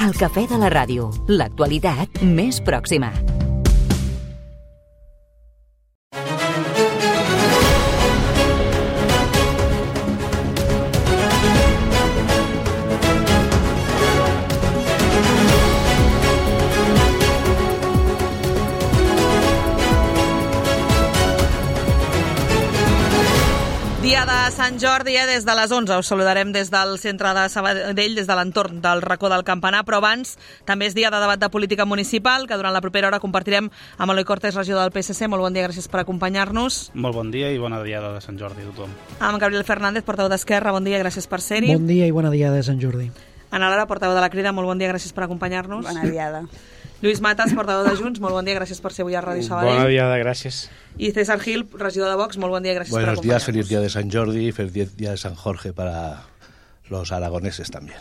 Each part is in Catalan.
El cafè de la ràdio, l'actualitat més pròxima. Dia de Sant Jordi, des de les 11. Us saludarem des del centre de Sabadell, des de l'entorn del racó del Campanar, però abans també és dia de debat de política municipal, que durant la propera hora compartirem amb Eloi Cortés, regidor del PSC. Molt bon dia, gràcies per acompanyar-nos. Molt bon dia i bona diada de Sant Jordi a tothom. Amb Gabriel Fernández, portaveu d'Esquerra, bon dia, gràcies per ser-hi. Bon dia i bona diada de Sant Jordi. Ana Lara, portaveu de la Crida, molt bon dia, gràcies per acompanyar-nos. Bona diada. Lluís Matas, portaveu de Junts, molt bon dia, gràcies per ser avui a Ràdio Sabadell. Bona diada, gràcies. I César Gil, regidor de Vox, molt bon dia, gràcies per acompanyar-nos. Buenos días, feliz día de Sant Jordi y feliz día de San Jorge para los aragoneses también.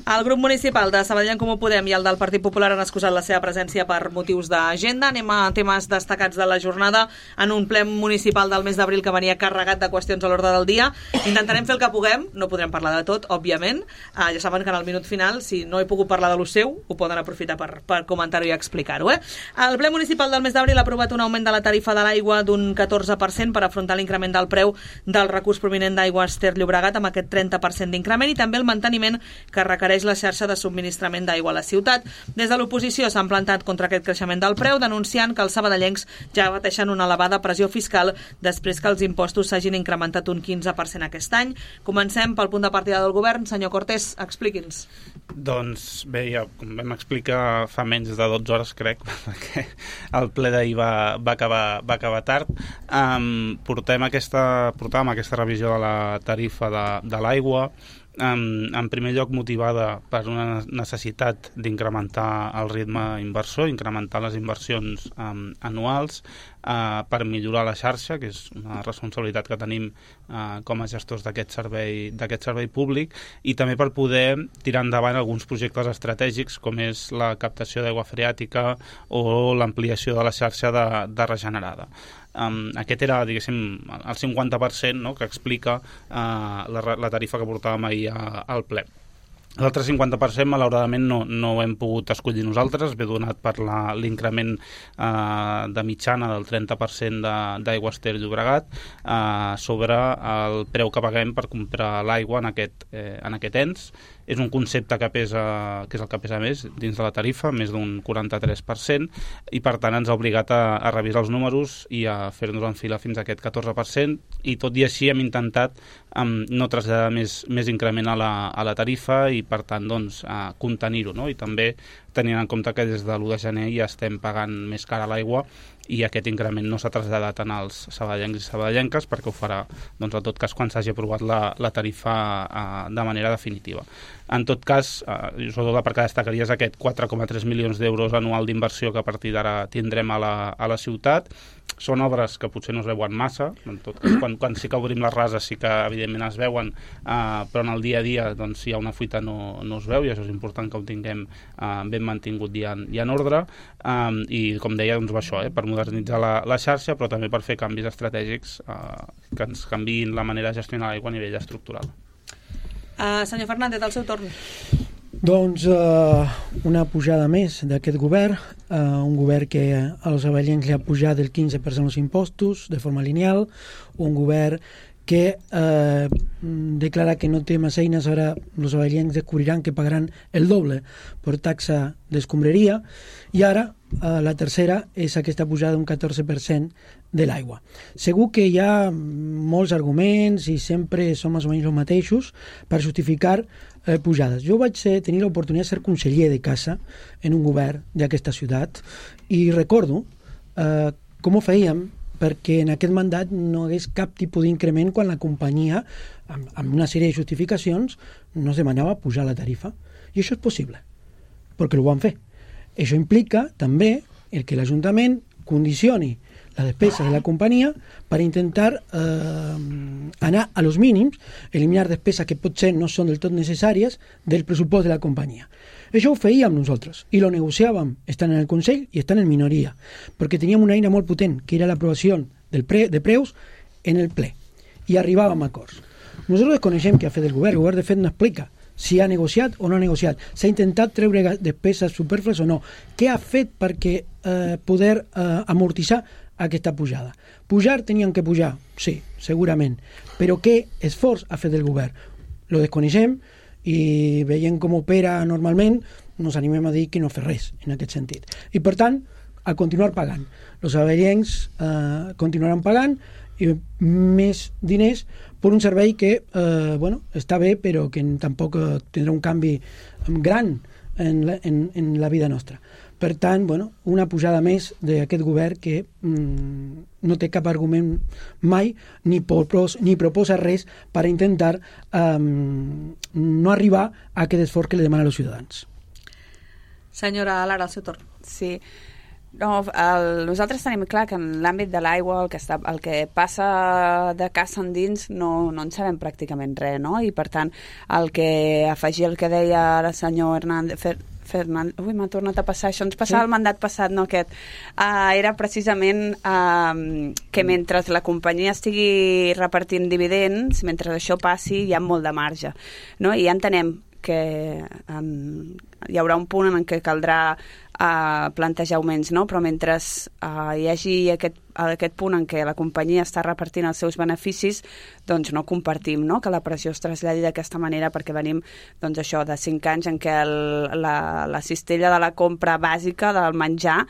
El grup municipal de Sabadell en Comú Podem i el del Partit Popular han excusat la seva presència per motius d'agenda. Anem a temes destacats de la jornada en un ple municipal del mes d'abril que venia carregat de qüestions a l'ordre del dia. Intentarem fer el que puguem, no podrem parlar de tot, òbviament. Ja saben que en el minut final, si no he pogut parlar de lo seu, ho poden aprofitar per comentar-ho i explicar-ho. El ple municipal del mes d'abril ha aprovat un augment de la tarifa de l'aigua d'un 14% per afrontar l'increment del preu del recurs provinent d'Aigües Ter Llobregat amb aquest 30% d'increment i també el manteniment que requereix la xarxa de subministrament d'aigua a la ciutat. Des de l'oposició s'han plantat contra aquest creixement del preu, denunciant que els sabadellencs ja pateixen una elevada pressió fiscal després que els impostos s'hagin incrementat un 15% aquest any. Comencem pel punt de partida del govern. Senyor Cortés, expliqui'ns. Doncs bé, ja com vam explicar fa menys de 12 hores, crec, perquè el ple d'ahir va acabar tard. Portàvem aquesta revisió de la tarifa de l'aigua, en primer lloc motivada per una necessitat d'incrementar el ritme inversor, incrementar les inversions anuals per millorar la xarxa, que és una responsabilitat que tenim com a gestors d'aquest servei públic, i també per poder tirar endavant alguns projectes estratègics com és la captació d'aigua freàtica o l'ampliació de la xarxa de regenerada. Aquest era, diguéssim, el 50%, no?, que explica la tarifa que portàvem ahir al ple. L'altre 50%, malauradament, no ho hem pogut escollir nosaltres, ve donat per l'increment de mitjana del 30% d'Aigües Ter Llobregat sobre el preu que paguem per comprar l'aigua en aquest ens. És un concepte que és el que pesa més dins de la tarifa, més d'un 43%, i per tant ens ha obligat a revisar els números i a fer-nos enfilar fins a aquest 14%, i tot i així hem intentat no traslladar més increment a la tarifa i per tant doncs, contenir-ho, no? I també tenint en compte que des de l'1 de gener ja estem pagant més cara l'aigua i aquest increment no s'ha traslladat en els sabadellencs i sabadellenques, perquè ho farà, doncs, en tot cas, quan s'hagi aprovat la tarifa de manera definitiva. En tot cas, sobretot la part que destacaria és aquest 4,3 milions d'euros anual d'inversió que a partir d'ara tindrem a la ciutat. Són obres que potser no es veuen massa, en tot cas, quan sí que obrim les rases sí que evidentment es veuen, però en el dia a dia doncs, si hi ha una fuita no es veu, i això és important que ho tinguem ben mantingut i en ordre, i com deia, doncs, això, per modernitzar la xarxa, però també per fer canvis estratègics que ens canviïn la manera de gestionar l'aigua a nivell estructural. Senyor Fernández, al seu torn. Doncs una pujada més d'aquest govern, un govern que als sabadellencs li ha pujat el 15% els impostos de forma lineal, un govern que declara que no té massa eines. Ara els sabadellencs descobriran que pagaran el doble per taxa d'escombraria, i ara la tercera és aquesta pujada d'un 14% de l'aigua. Segur que hi ha molts arguments i sempre són més o menys els mateixos per justificar pujades. Jo vaig tenir l'oportunitat de ser conseller de casa en un govern d'aquesta ciutat i recordo com ho fèiem perquè en aquest mandat no hagués cap tipus d'increment quan la companyia, amb una sèrie de justificacions, no es demanava pujar la tarifa. I això és possible, perquè ho van fer. Això implica també que l'Ajuntament condicioni la despesa de la companyia per intentar anar a los mínims, eliminar despeses que potser no són del tot necessàries del pressupost de la companyia. Això ho fèiem nosaltres i lo negociàvem estant en el Consell i estant en minoria, perquè teníem una eina molt potent, que era l'aprovació de preus en el ple, i arribàvem a acords. Nosaltres desconeixem què ha fet el govern de fet no explica si ha negociat o no ha negociat, s'ha intentat treure despeses superflues o no, què ha fet perquè poder amortitzar aquesta pujada. Pujar tenien que pujar, sí, segurament, però què esforç ha fet el govern? Lo desconeixem i veient com opera normalment nos animem a dir que no fa res en aquest sentit. I per tant, a continuar pagant. Els sabadellencs continuaran pagant i més diners per un servei que està bé però que tampoc tindrà un canvi gran en la vida nostra. Per tant, una pujada més d'aquest govern que no té cap argument mai ni proposa res per intentar no arribar a aquest esforç que li demana als ciutadans. Senyora Lara, al seu torn. Sí. No, nosaltres tenim clar que en l'àmbit de l'aigua el que passa de casa endins no en sabem pràcticament res, no? I per tant, el que afegir el que deia el senyor Fernández, m'ha tornat a passar, això ens passava el mandat passat, no aquest, era precisament que mentre la companyia estigui repartint dividends, mentre això passi hi ha molt de marge, no? I ja entenem que hi haurà un punt en què caldrà plantejar augments, no? Però mentre hi hagi aquest punt en què la companyia està repartint els seus beneficis, doncs no compartim, no?, que la pressió es traslladi d'aquesta manera, perquè venim doncs això de 5 anys en què la cistella de la compra bàsica del menjar,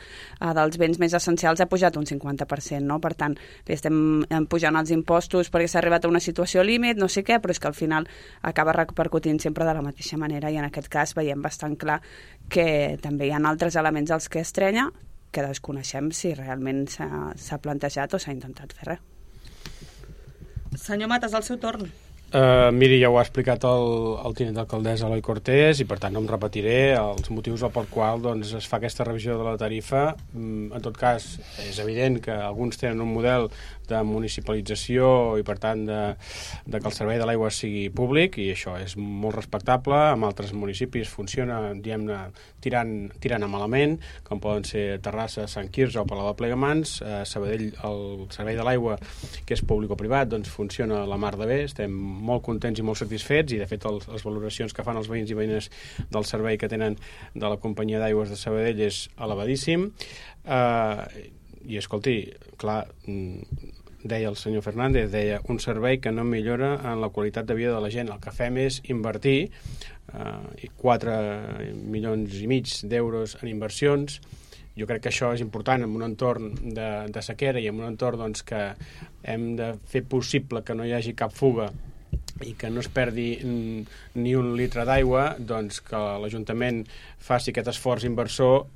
dels béns més essencials, ha pujat un 50%, no? Per tant, li estem pujant els impostos perquè s'ha arribat a una situació límit, no sé què, però és que al final acaba repercutint sempre de la mateixa manera, i en aquest cas veiem bastant clar que també hi ha altres elements als que estrenya que desconeixem si realment s'ha plantejat o s'ha intentat fer res. Senyor Matas, al seu torn. Miri, ja ho ha explicat el tinent d'alcaldessa Eloi Cortés, i per tant no em repetiré els motius per qual doncs, es fa aquesta revisió de la tarifa. En tot cas, és evident que alguns tenen un model de municipalització i per tant de que el servei de l'aigua sigui públic, i això és molt respectable. En altres municipis funciona, diguem-ne, tirant a malament, com poden ser Terrassa, Sant Quirze o Palau de Plegamans. Sabadell, el servei de l'aigua, que és públic o privat, doncs funciona a la mar de bé, estem molt contents i molt satisfets, i de fet les valoracions que fan els veïns i veïnes del servei que tenen de la companyia d'aigües de Sabadell és elevadíssim. I escolti, clar, deia el senyor Fernández, deia un servei que no millora en la qualitat de vida de la gent. El que fem és invertir 4,5 milions d'euros en inversions. Jo crec que això és important en un entorn de sequera i en un entorn doncs, que hem de fer possible que no hi hagi cap fuga i que no es perdi ni un litre d'aigua, doncs que l'Ajuntament faci aquest esforç inversor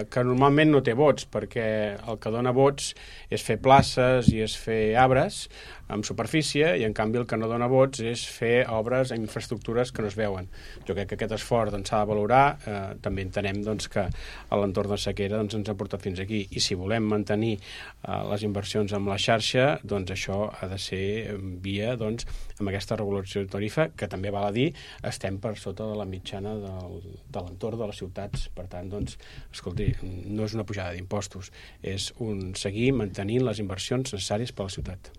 que normalment no té vots, perquè el que dona vots és fer places i és fer arbres amb superfície, i en canvi el que no dona vots és fer obres en infraestructures que no es veuen. Jo crec que aquest esforç s'ha de valorar. També entenem doncs, que a l'entorn de sequera ens ha portat fins aquí, i si volem mantenir les inversions amb la xarxa, doncs això ha de ser via amb aquesta regulació de tarifa, que també val a dir estem per sota de la mitjana de l'entorn de les ciutats. Per tant, doncs, escolti, no és una pujada d'impostos, és seguir mantenint les inversions necessàries per a la ciutat.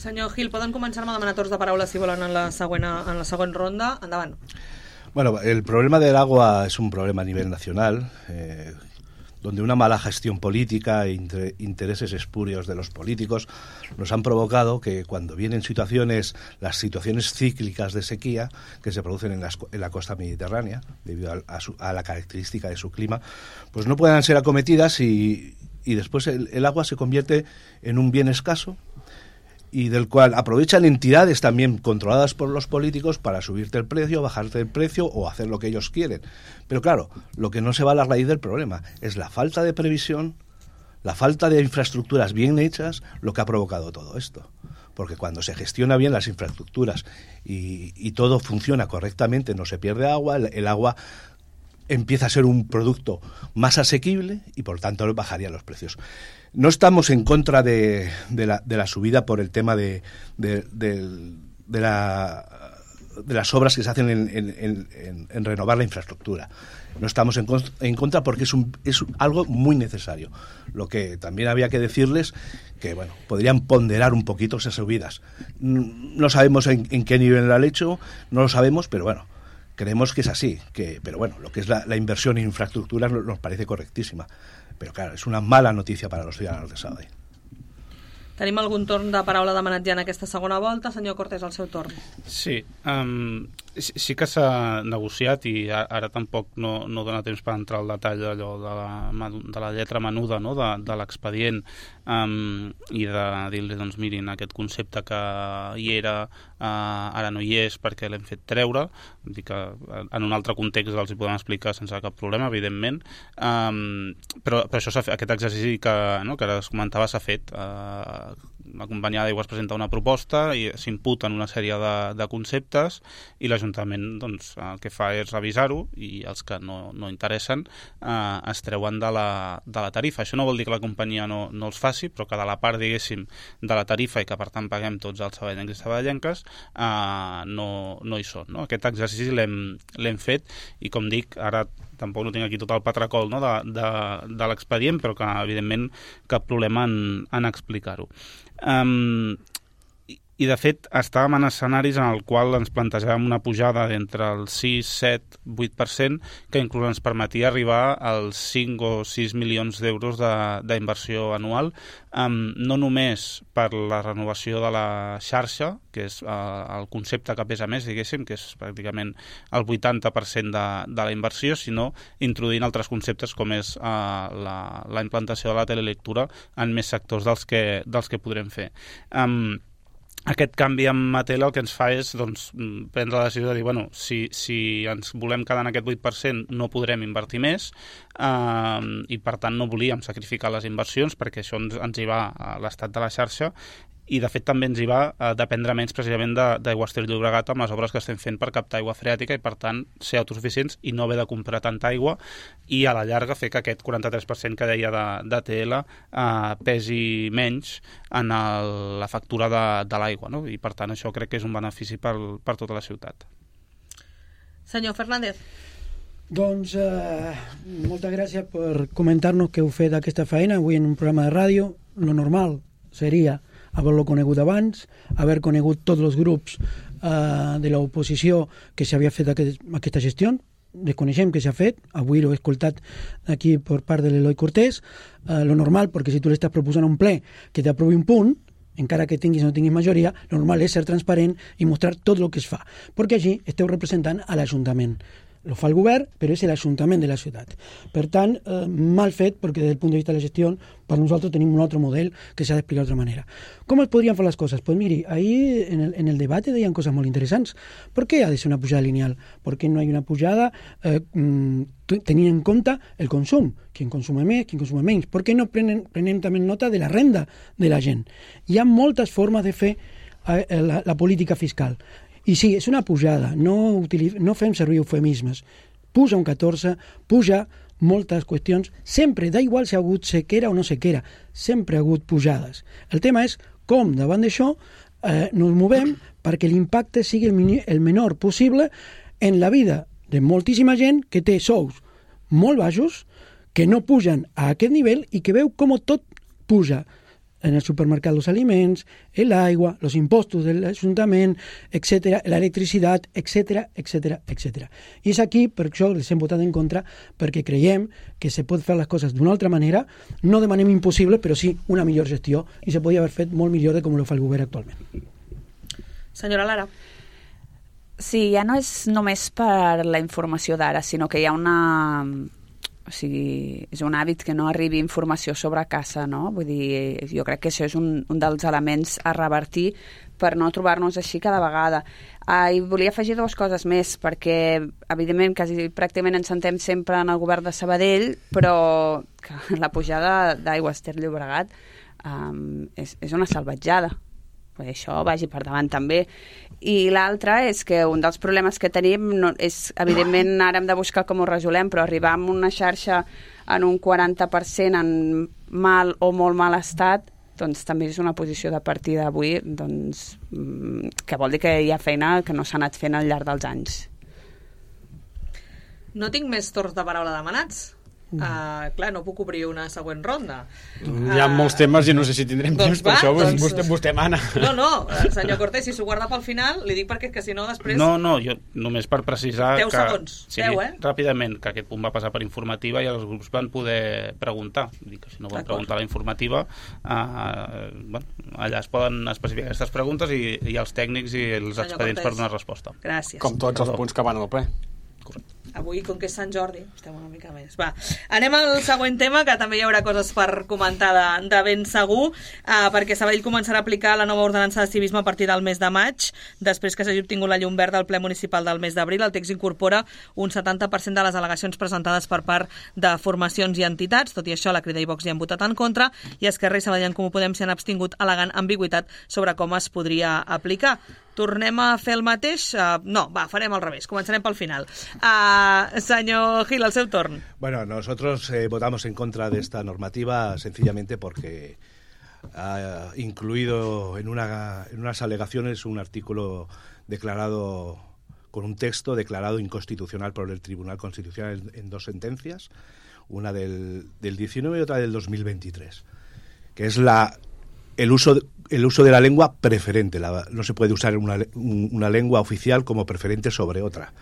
Senyor Gil, poden començar-me a demanar torns de paraula si volen en la següent ronda. Endavant. Bueno, el problema del agua es un problema a nivel nacional, donde una mala gestión política e intereses espurios de los políticos nos han provocado que cuando vienen las situaciones cíclicas de sequía que se producen en la costa mediterránea, debido a la característica de su clima, pues no puedan ser acometidas, y después el agua se convierte en un bien escaso, y del cual aprovechan entidades también controladas por los políticos para subirte el precio, bajarte el precio o hacer lo que ellos quieren. Pero claro, lo que no se va a la raíz del problema es la falta de previsión, la falta de infraestructuras bien hechas, lo que ha provocado todo esto. Porque cuando se gestiona bien las infraestructuras y todo funciona correctamente, no se pierde agua, el agua empieza a ser un producto más asequible y por tanto bajarían los precios. No estamos en contra de la subida por el tema de las obras que se hacen en renovar la infraestructura. No estamos en contra porque es algo muy necesario. Lo que también había que decirles que, bueno, podrían ponderar un poquito esas subidas. No sabemos en qué nivel lo han hecho, no lo sabemos, pero bueno, Creemos que es así, pero bueno, lo que es la inversión en infraestructuras nos parece correctísima. Pero claro, es una mala noticia para los ciudadanos de Sabadell. Tenim algun torn de paraula demanat ja en aquesta segona volta. Senyor Cortés, al seu torn. Sí, sí que s'ha negociat i ara tampoc no dona temps per entrar al detall d'allò de la lletra menuda, no? de l'expedient i de dir-li, doncs mirin, aquest concepte que hi era ara no hi és perquè l'hem fet treure. Vull dir que en un altre context els hi podem explicar sense cap problema, evidentment, però això aquest exercici que ara es comentava s'ha fet. La companyia d'aigües presenta una proposta i s'imputen una sèrie de conceptes i l'Ajuntament doncs, el que fa és revisar-ho i els que no interessen es treuen de la tarifa. Això no vol dir que la companyia no els faci, però que de la part, diguéssim, de la tarifa i que per tant paguem tots els sabadellencs i sabadellenques no hi són. No? Aquest exercici l'hem fet i, com dic, ara tampoc no tinc aquí tot el patracol, no? de l'expedient, però que evidentment cap problema en explicar-ho. I de fet estàvem en escenaris en el qual ens plantejàvem una pujada d'entre el 6, 7, 8% que inclús ens permetia arribar als 5 o 6 milions d'euros d'inversió anual, no només per la renovació de la xarxa, que és el concepte que pesa més, diguéssim, que és pràcticament el 80% de la inversió, sinó introduint altres conceptes com és la implantació de la telelectura en més sectors dels que podrem fer. Aquest canvi amb Matela el que ens fa és prendre la decisió de dir, bueno, si ens volem quedar en aquest 8% no podrem invertir més i per tant no volíem sacrificar les inversions perquè això ens hi va a l'estat de la xarxa i de fet també ens hi va a dependre menys precisament d'Aigües Ter Llobregat amb les obres que estem fent per captar aigua freàtica i per tant ser autosuficients i no haver de comprar tanta aigua i a la llarga fer que aquest 43% que deia d'ATL pesi menys en la factura de l'aigua, no? I per tant això crec que és un benefici per tota la ciutat. Senyor Fernández. Doncs moltes gràcies per comentar-nos que heu fet aquesta feina avui en un programa de ràdio. Lo normal seria haver-lo conegut abans, haver conegut tots els grups de l'oposició que s'havia fet aquesta gestió. Desconeixem que s'ha fet, avui l'he escoltat aquí per part de l'Eloi Cortés. Lo normal, perquè si tu l'estàs proposant a un ple que t'aprovi un punt, encara que tinguis o no tinguis majoria, lo normal és ser transparent i mostrar tot el que es fa, perquè així esteu representant a l'Ajuntament. Lo fa el govern, però és l'Ajuntament de la ciutat. Per tant, mal fet, perquè des del punt de vista de la gestió, per nosaltres tenim un altre model que s'ha d'explicar d'altra manera. Com es podrien fer les coses? Pues miri, ahí en el debate deien coses molt interessants. ¿Por qué ha de ser una pujada lineal? ¿Por qué no hay una pujada tenint en compte el consum? Quien consume més, quien consume menys. ¿Por qué no prenem també nota de la renda de la gent? Hi ha moltes formes de fer la política fiscal. I sí, és una pujada, no fem servir eufemismes. Puja un 14, puja moltes qüestions, sempre, da igual si ha hagut sequera o no sequera, sempre ha hagut pujades. El tema és com, davant d'això, nos movem perquè l'impacte sigui el menor possible en la vida de moltíssima gent que té sous molt baixos, que no pugen a aquest nivell i que veu com tot puja en el supermercat, los aliments, el agua, los impostos del Ajuntament, etc., la electricitat, etc., etc., etc. I és aquí, per això les hem votat en contra, perquè creiem que se pot fer les coses d'una altra manera, no demanem impossible, però sí una millor gestió, i se podria haver fet molt millor de com ho fa el govern actualment. Senyora Lara. Sí, ja no és només per la informació d'ara, sinó que hi ha una... O sigui, és un hàbit que no arribi informació sobre casa, no? Vull dir, jo crec que això és un dels elements a revertir per no trobar-nos així cada vegada. I volia afegir dues coses més, perquè, evidentment, quasi pràcticament ens sentem sempre en el govern de Sabadell, però que la pujada d'Aigües Ter Llobregat és una salvatjada. Això vagi per davant també. I l'altre és que un dels problemes que tenim és, evidentment, ara hem de buscar com ho resolem, però arribar a una xarxa en un 40% en mal o molt mal estat, doncs també és una posició de partida avui, doncs, que vol dir que hi ha feina que no s'ha anat fent al llarg dels anys. No tinc més torns de paraula demanats. Clar, no puc obrir una següent ronda. Hi ha molts temes i no sé si tindrem temps, per això vostè mana. No, senyor Cortés, si s'ho guarda pel final, li dic perquè és que si no després... No, jo només per precisar 10 segons, 10, ràpidament, que aquest punt va passar per informativa i els grups van poder preguntar. Dic que si no van preguntar a la informativa, allà es poden especificar aquestes preguntes i els tècnics i els expedients per donar resposta. Gràcies. Com tots els punts que van al ple. Correcte. Avui, com que és Sant Jordi, estem una mica més. Va, anem al següent tema, que també hi haurà coses per comentar de ben segur, perquè Sabadell començarà a aplicar la nova ordenança de civisme a partir del mes de maig. Després que s'hagi obtingut la llum verda al ple municipal del mes d'abril, el text incorpora un 70% de les al·legacions presentades per part de formacions i entitats. Tot i això, la Crida i Vox hi han votat en contra, i Esquerra i Sabadell en Comú Podem s'hi han abstingut al·legant ambigüitat sobre com es podria aplicar. Tornem a fer el mateix? No, farem al revés. Començarem pel final. Señor Gil, al seu torn. Bueno, nosotros votamos en contra de esta normativa sencillamente porque ha incluido en unas alegaciones un artículo declarado con un texto declarado inconstitucional por el Tribunal Constitucional en dos sentencias, una del 19 y otra del 2023, que es el uso de la lengua preferente. No se puede usar una lengua oficial como preferente sobre otra.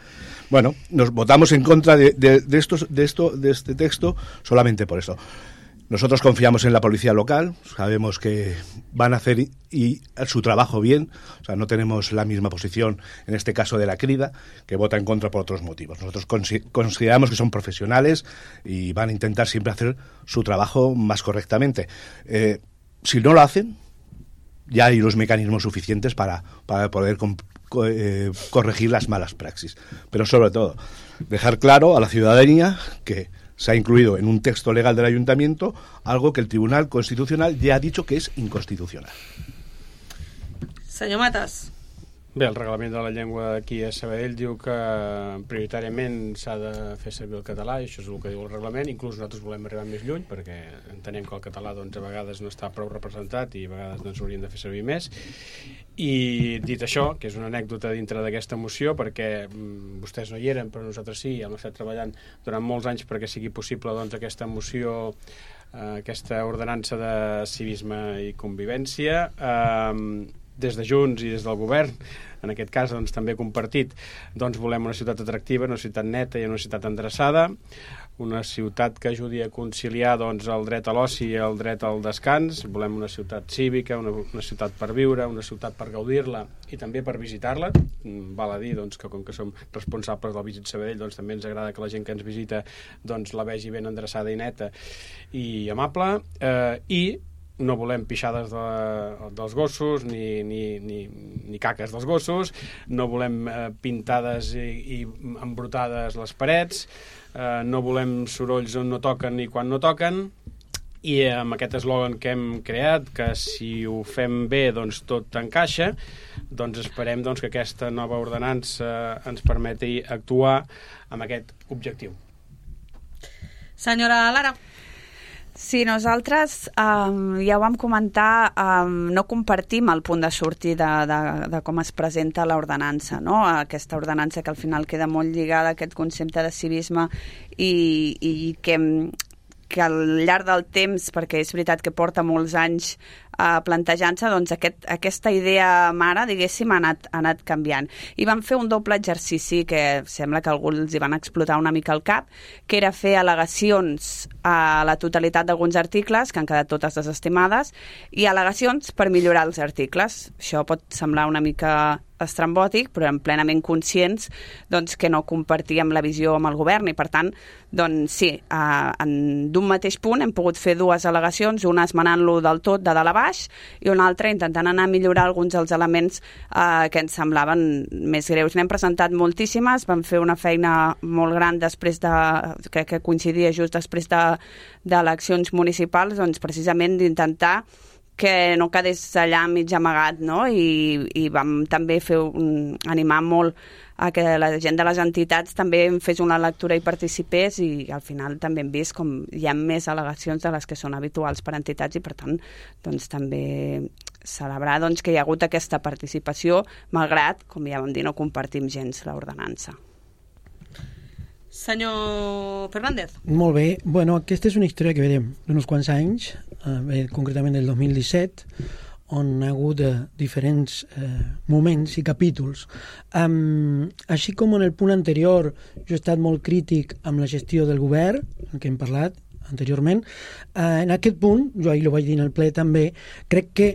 Bueno, nos votamos en contra de este texto solamente por eso. Nosotros confiamos en la policía local, sabemos que van a hacer su trabajo bien, o sea, no tenemos la misma posición en este caso de la Crida, que vota en contra por otros motivos. Nosotros consideramos que son profesionales y van a intentar siempre hacer su trabajo más correctamente. Si no lo hacen, ya hay los mecanismos suficientes para poder corregir las malas praxis. Pero sobre todo, dejar claro a la ciudadanía que se ha incluido en un texto legal del Ayuntamiento algo que el Tribunal Constitucional ya ha dicho que es inconstitucional. Senyor Matas. Bé, el reglament de la llengua aquí a Sabadell diu que prioritàriament s'ha de fer servir el català, i això és el que diu el reglament. Inclús nosaltres volem arribar més lluny perquè entenem que el català doncs, a vegades no està prou representat i a vegades doncs, hauríem de fer servir més. I dit això, que és una anècdota dintre d'aquesta moció, perquè vostès no hi eren, però nosaltres sí, hem estat treballant durant molts anys perquè sigui possible doncs, aquesta moció, aquesta ordenança de civisme i convivència. Des de Junts i des del govern, en aquest cas doncs, també compartit, doncs, volem una ciutat atractiva, una ciutat neta i una ciutat endreçada, una ciutat que ajudi a conciliar doncs, el dret a l'oci i el dret al descans. Volem una ciutat cívica, una ciutat per viure, una ciutat per gaudir-la i també per visitar-la. Val a dir doncs, que com que som responsables del Visit Sabadell, doncs, també ens agrada que la gent que ens visita doncs, la vegi ben endreçada i neta i amable, i no volem pixades dels gossos ni caques dels gossos, no volem pintades i embrutades les parets, no volem sorolls on no toquen ni quan no toquen, i amb aquest eslògan que hem creat, que si ho fem bé doncs tot encaixa, doncs esperem doncs, que aquesta nova ordenança ens permeti actuar amb aquest objectiu. Senyora Lara. Sí, nosaltres ja ho vam comentar, no compartim el punt de sortir de com es presenta l'ordenança, no? Aquesta ordenança que al final queda molt lligada a aquest concepte de civisme i que al llarg del temps, perquè és veritat que porta molts anys plantejant-se, doncs aquesta idea mare, diguéssim, ha anat canviant. I vam fer un doble exercici que sembla que alguns hi van explotar una mica al cap, que era fer al·legacions a la totalitat d'alguns articles, que han quedat totes desestimades, i al·legacions per millorar els articles. Això pot semblar una mica estrambòtic, però eren plenament conscients doncs, que no compartíem la visió amb el govern i, per tant, doncs, sí, d'un mateix punt hem pogut fer dues al·legacions, una esmenant-lo del tot de dalt a baix i una altra intentant anar a millorar alguns dels elements que ens semblaven més greus. N'hem presentat moltíssimes, vam fer una feina molt gran després que coincidia just després d'eleccions municipals, doncs, precisament d'intentar que no quedés allà mig amagat, no? I vam també animar molt a que la gent de les entitats també fes una lectura i participés, i al final també hem vist com hi ha més al·legacions de les que són habituals per entitats i per tant doncs, també celebrar doncs, que hi ha hagut aquesta participació malgrat, com ja vam dir, no compartim gens l'ordenança. Senyor Fernández. Molt bé. Bueno, aquesta és una història que veiem d'uns quants anys, concretament del 2017, on ha hagut diferents moments i capítols. Així com en el punt anterior jo he estat molt crític amb la gestió del govern, el que hem parlat anteriorment, en aquest punt, jo ahir ho vaig dir en el ple també, crec que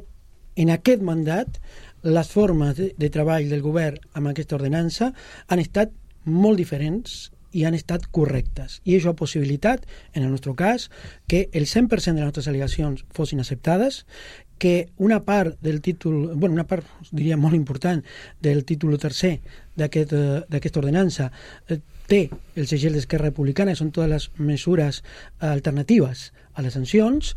en aquest mandat les formes de treball del govern amb aquesta ordenança han estat molt diferents i han estat correctes. I això ha possibilitat, en el nostre cas, que el 100% de les nostres al·legacions fossin acceptades, que una part del títol, bueno, una part, diria, molt important del títol tercer d'aquesta ordenança té el segell d'Esquerra Republicana, que són totes les mesures alternatives a les sancions,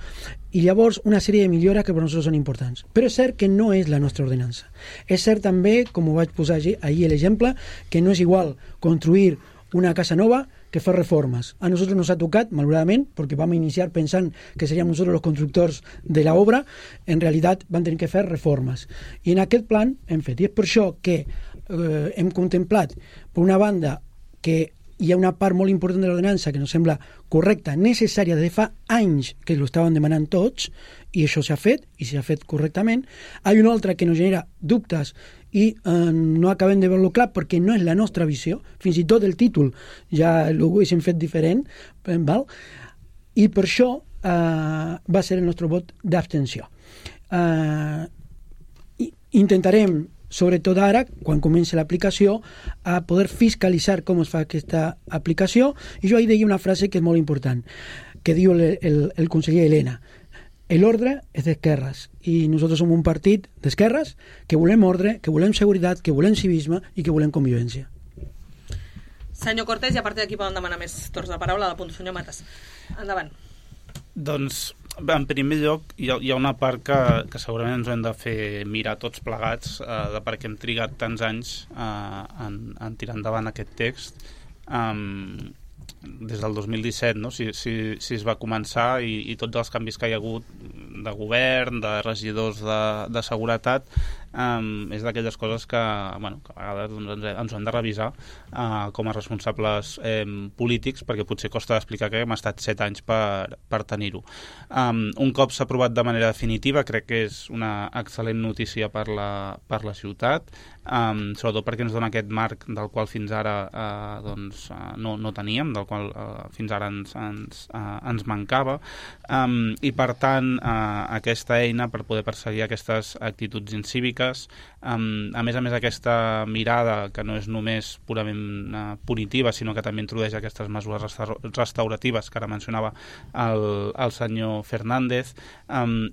i llavors una sèrie de millores que per nosaltres són importants. Però és cert que no és la nostra ordenança. És cert també, com ho vaig posar ahir l'exemple, que no és igual construir una casa nova que fer reformes. A nosaltres nos ha tocat, malauradament, perquè vam iniciar pensant que seríem nosaltres els constructors de l'obra, en realitat van tenir que fer reformes. I en aquest plan hem fet. I és per això que hem contemplat, per una banda, que hi ha una part molt important de l'ordenança que ens sembla correcta, necessària, de fa anys que ho estaven demanant tots, i això s'ha fet, i s'ha fet correctament. Hi ha una altra que ens genera dubtes i no acabem de veure-lo clar perquè no és la nostra visió, fins i tot el títol ja ho haguéssim fet diferent, val? I per això va ser el nostre vot d'abstenció. Intentarem, sobretot ara, quan comenci l'aplicació, a poder fiscalitzar com es fa aquesta aplicació, i jo ahir deia una frase que és molt important, que diu el conseller Elena: el ordre és d'esquerres i nosaltres som un partit d'esquerres que volem ordre, que volem seguretat, que volem civisme i que volem convivència. Senyor Cortés, i a partir d'aquí poden demanar més torns de paraula. L'apunto, senyor Matas. Endavant. Doncs, en primer lloc, hi ha una part que segurament ens hem de fer mirar tots plegats de per què hem trigat tants anys en tirar endavant aquest text. Des del 2017, no? Si es va començar i tots els canvis que hi ha hagut de govern, de regidors de seguretat, és d'aquelles coses que a vegades ens ho hem de revisar com a responsables polítics, perquè potser costa d'explicar que hem estat 7 anys per tenir-ho. Un cop s'ha aprovat de manera definitiva, crec que és una excel·lent notícia per la ciutat, sobretot perquè ens dona aquest marc del qual fins ara no teníem, del qual fins ara ens mancava, i per tant aquesta eina per poder perseguir aquestes actituds incíviques, a més aquesta mirada que no és només purament punitiva, sinó que també introdueix aquestes mesures restauratives que ara mencionava el senyor Fernández,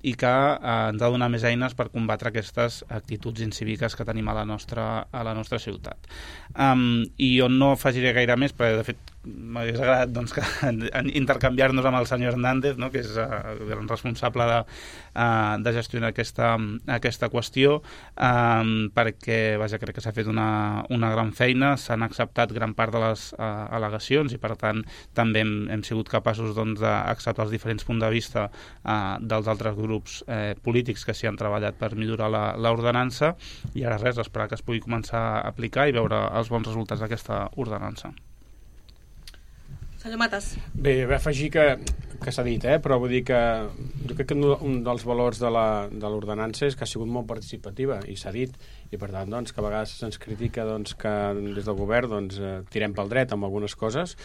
i que ens ha de donar més eines per combatre aquestes actituds incíviques que tenim a la nostra ciutat. I jo no afegiré gaire més, perquè de fet m'hagués agradat intercanviar-nos amb el senyor Hernández, no? Que és el responsable de gestionar aquesta qüestió, perquè crec que s'ha fet una gran feina, s'han acceptat gran part de les al·legacions i per tant també hem sigut capaços d'acceptar els diferents punts de vista dels altres grups polítics que s'hi han treballat per millorar l'ordenança, i ara res, esperar que es pugui començar a aplicar i veure els bons resultats d'aquesta ordenança. Senyor Matas. Bé, afegir que s'ha dit, però vull dir que jo crec que un dels valors de l'ordenança és que ha sigut molt participativa, i s'ha dit, i per tant que a vegades se'ns critica que des del govern tirem pel dret amb algunes coses,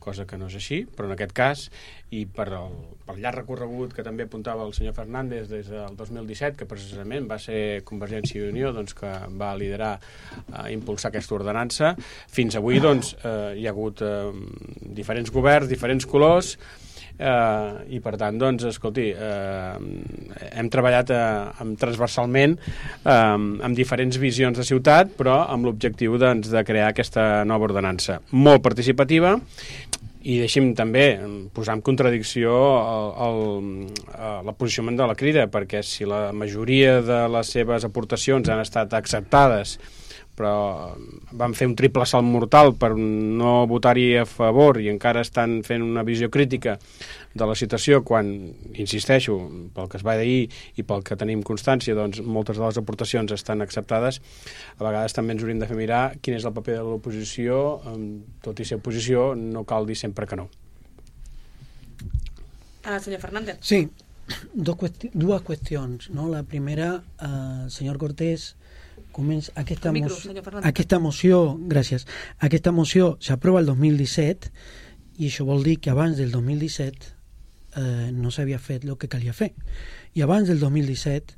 cosa que no és així, però en aquest cas, i pel llarg recorregut que també apuntava el senyor Fernández des del 2017, que precisament va ser Convergència i Unió que va liderar impulsar aquesta ordenança, fins avui hi ha hagut diferents governs, diferents colors, i per tant, escolti, hem treballat transversalment amb diferents visions de ciutat, però amb l'objectiu de crear aquesta nova ordenança molt participativa. I deixi'm també posar en contradicció el posicionament de la Crida, perquè si la majoria de les seves aportacions han estat acceptades però van fer un triple salt mortal per no votar-hi a favor i encara estan fent una visió crítica de la situació quan, insisteixo, pel que es va dir i pel que tenim constància, doncs moltes de les aportacions estan acceptades. A vegades també ens hauríem de fer mirar quin és el paper de l'oposició, tot i ser oposició no cal dir sempre que no. Senyor Fernández. Sí, dues qüestions, no? La primera, senyor Cortés, aquesta moció, gràcies, aquesta moció s'aprova el 2017 i això vol dir que abans del 2017 no s'havia fet el que calia fer, i abans del 2017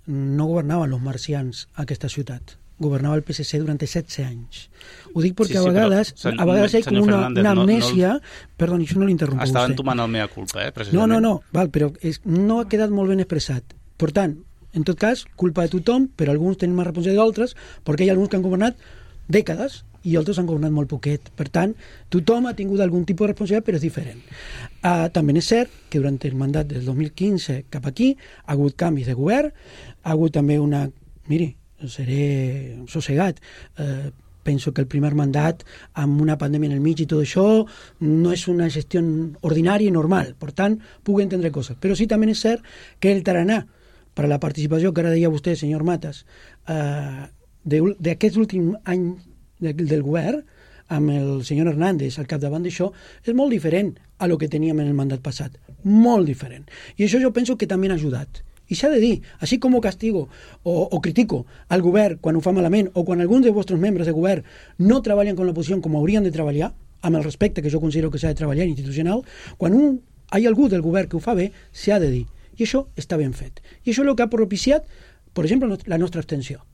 no governaven els marcians a aquesta ciutat, governava el PSC durant 16 anys. Ho dic perquè a vegades hi ha com una amnèsia... Perdó, això no l'interrompo vostè. Estava entomant el mea culpa, precisament. No, val, però no ha quedat molt ben expressat. Per tant, en tot cas, culpa de tothom, però alguns tenen més responsabilitat d'altres, perquè hi ha alguns que han governat dècades i altres han governat molt poquet. Per tant, tothom ha tingut algun tipus de responsabilitat, però és diferent. També és cert que durant el mandat del 2015 cap aquí ha hagut canvis de govern, ha hagut també una... Miri, seré sossegat. Penso que el primer mandat, amb una pandèmia en el mig i tot això, no és una gestió ordinària i normal. Per tant, puc entendre coses. Però sí també és cert que el taraná per a la participació que ara deia vostè, senyor Matas, d'aquest últim any del govern, amb el senyor Hernández al capdavant d'això, és molt diferent a lo que teníem en el mandat passat. Molt diferent. I això jo penso que també ha ajudat. I s'ha de dir, així com castigo o critico al govern quan ho fa malament o quan alguns dels vostres membres de govern no treballen con l'oposició com haurien de treballar, amb el respecte que jo considero que s'ha de treballar institucional, quan hi ha algú del govern que ho fa bé, s'ha de dir. I això està ben fet. I això és el que ha propiciat, per exemple, la nostra abstenció.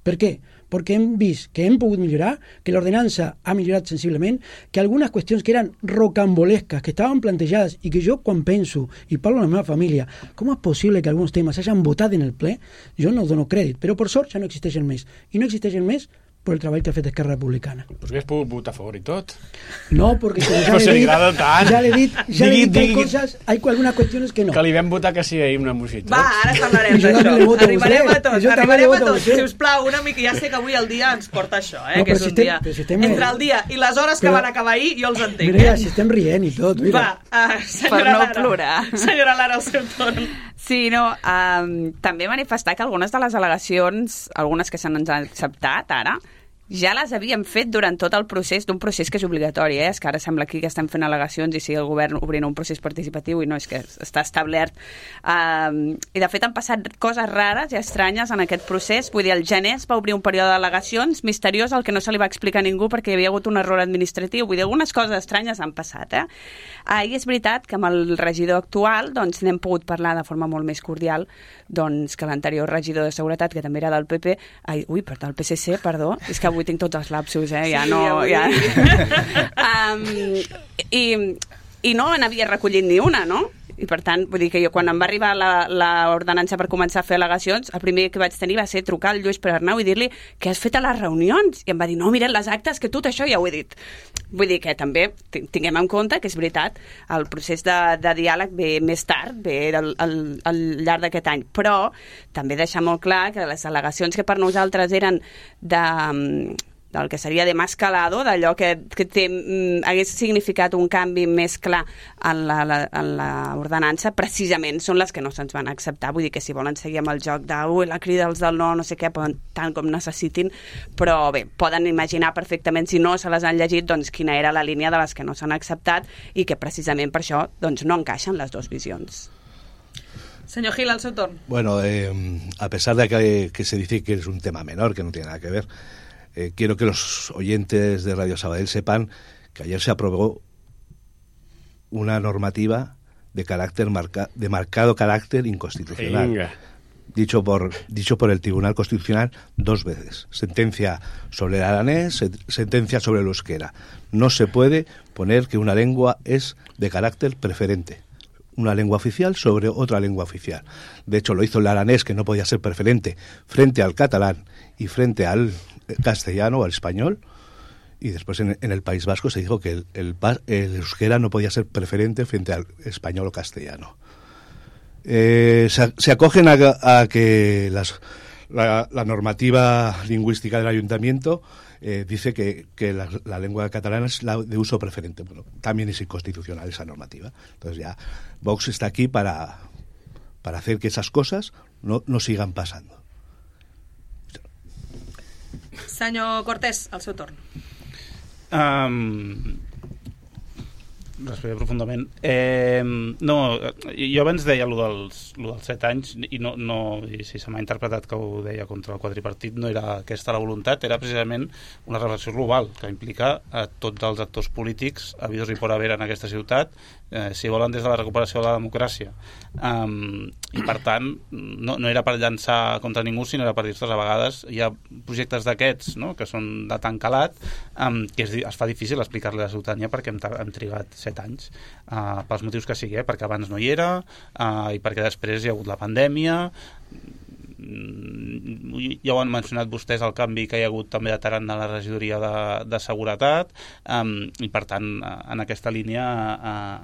Per què? Perquè hem vist que hem pogut millorar, que l'ordenança ha millorat sensiblement, que algunes qüestions que eren rocambolesques, que estaven plantejades i que jo quan penso i parlo amb la meva família, com és possible que alguns temes s'hagin votat en el ple, jo no dono crèdit, però per sort ja no existeixen més. I no existeixen més per el treball que ha fet Esquerra Republicana. Però que has pogut votar a favor i tot. No, perquè ja l'he dit, que hay cosas, hay algunas cuestiones que no. Que li vam votar que sí ahir una moció. Va, ara parlarem d'això. Arribarem a tots. Si us plau, una mica, ja sé que avui el dia ens porta això, que és un dia. Entre el dia i les hores que van acabar ahir, jo els entenc. Mira, si estem rient i tot. Va, per no plorar. Senyora Lara, el seu torn. Sí, no, també manifestar que algunes de les al·legacions, algunes que s'han acceptat ara, ja les havíem fet durant tot el procés d'un procés que és obligatori, és que ara sembla aquí que estem fent al·legacions i sigui el govern obrint un procés participatiu i no, és que està establert. I de fet han passat coses rares i estranyes en aquest procés. Vull dir, el gener es va obrir un període d'al·legacions misteriós al que no se li va explicar a ningú perquè hi havia hagut un error administratiu. Vull dir, algunes coses estranyes han passat, I és veritat que amb el regidor actual doncs n'hem pogut parlar de forma molt més cordial doncs, que l'anterior regidor de Seguretat, que també era del PP, del PSC, perdó, és que avui tinc tots els lapsus, ja sí, no... Ja... I no n'havia recollit ni una, no? I per tant, vull dir que jo quan em va arribar l'ordenança per començar a fer al·legacions, el primer que vaig tenir va ser trucar al Lluís Perarnau i dir-li què has fet a les reunions? I em va dir, no, mira les actes, que tot això ja ho he dit. Vull dir que també tinguem en compte que és veritat, el procés de diàleg ve més tard, ve al llarg d'aquest any, però també deixar molt clar que les al·legacions que per nosaltres eren del que seria de más calado, d'allò que hagués significat un canvi més clar en l'ordenança, precisament són les que no se'ns van acceptar. Vull dir que si volen seguir amb el joc la crida dels del no sé què, poden, tant com necessitin, però bé, poden imaginar perfectament, si no se les han llegit, doncs quina era la línia de les que no s'han acceptat i que precisament per això doncs, no encaixen les dues visions. Señor Gil, al seu torn. Bueno, a pesar de que se dice que es un tema menor, que no tiene nada que ver, quiero que los oyentes de Radio Sabadell sepan que ayer se aprobó una normativa de marcado carácter inconstitucional. Venga. Dicho por el Tribunal Constitucional 2 veces. Sentencia sobre el aranés, sentencia sobre el euskera. No se puede poner que una lengua es de carácter preferente. Una lengua oficial sobre otra lengua oficial. De hecho, lo hizo el aranés, que no podía ser preferente, frente al catalán y frente al castellano o al español, y después en el País Vasco se dijo que el euskera no podía ser preferente frente al español o castellano. Se acogen a que La normativa lingüística del ayuntamiento dice que la lengua catalana es la de uso preferente. Bueno, también es inconstitucional esa normativa. Entonces ya Vox está aquí para hacer que esas cosas no sigan pasando. Senyor Cortés, al seu torn. Respiraré profundament. No, jo abans deia allò dels 7 anys i si se m'ha interpretat que ho deia contra el quadripartit, no era aquesta la voluntat, era precisament una reflexió global que implica a tots els actors polítics habidos i por haver en aquesta ciutat, si volen des de la recuperació de la democràcia. I per tant no era per llançar contra ningú, sinó era per dir-nos a vegades hi ha projectes d'aquests, no?, que són de tan calat que es fa difícil explicar-li a la ciutadania perquè hem trigat 7 anys pels motius que sigui, perquè abans no hi era i perquè després hi ha hagut la pandèmia. Ja ho han mencionat vostès, el canvi que hi ha hagut també de tarannà a la regidoria de seguretat, i per tant en aquesta línia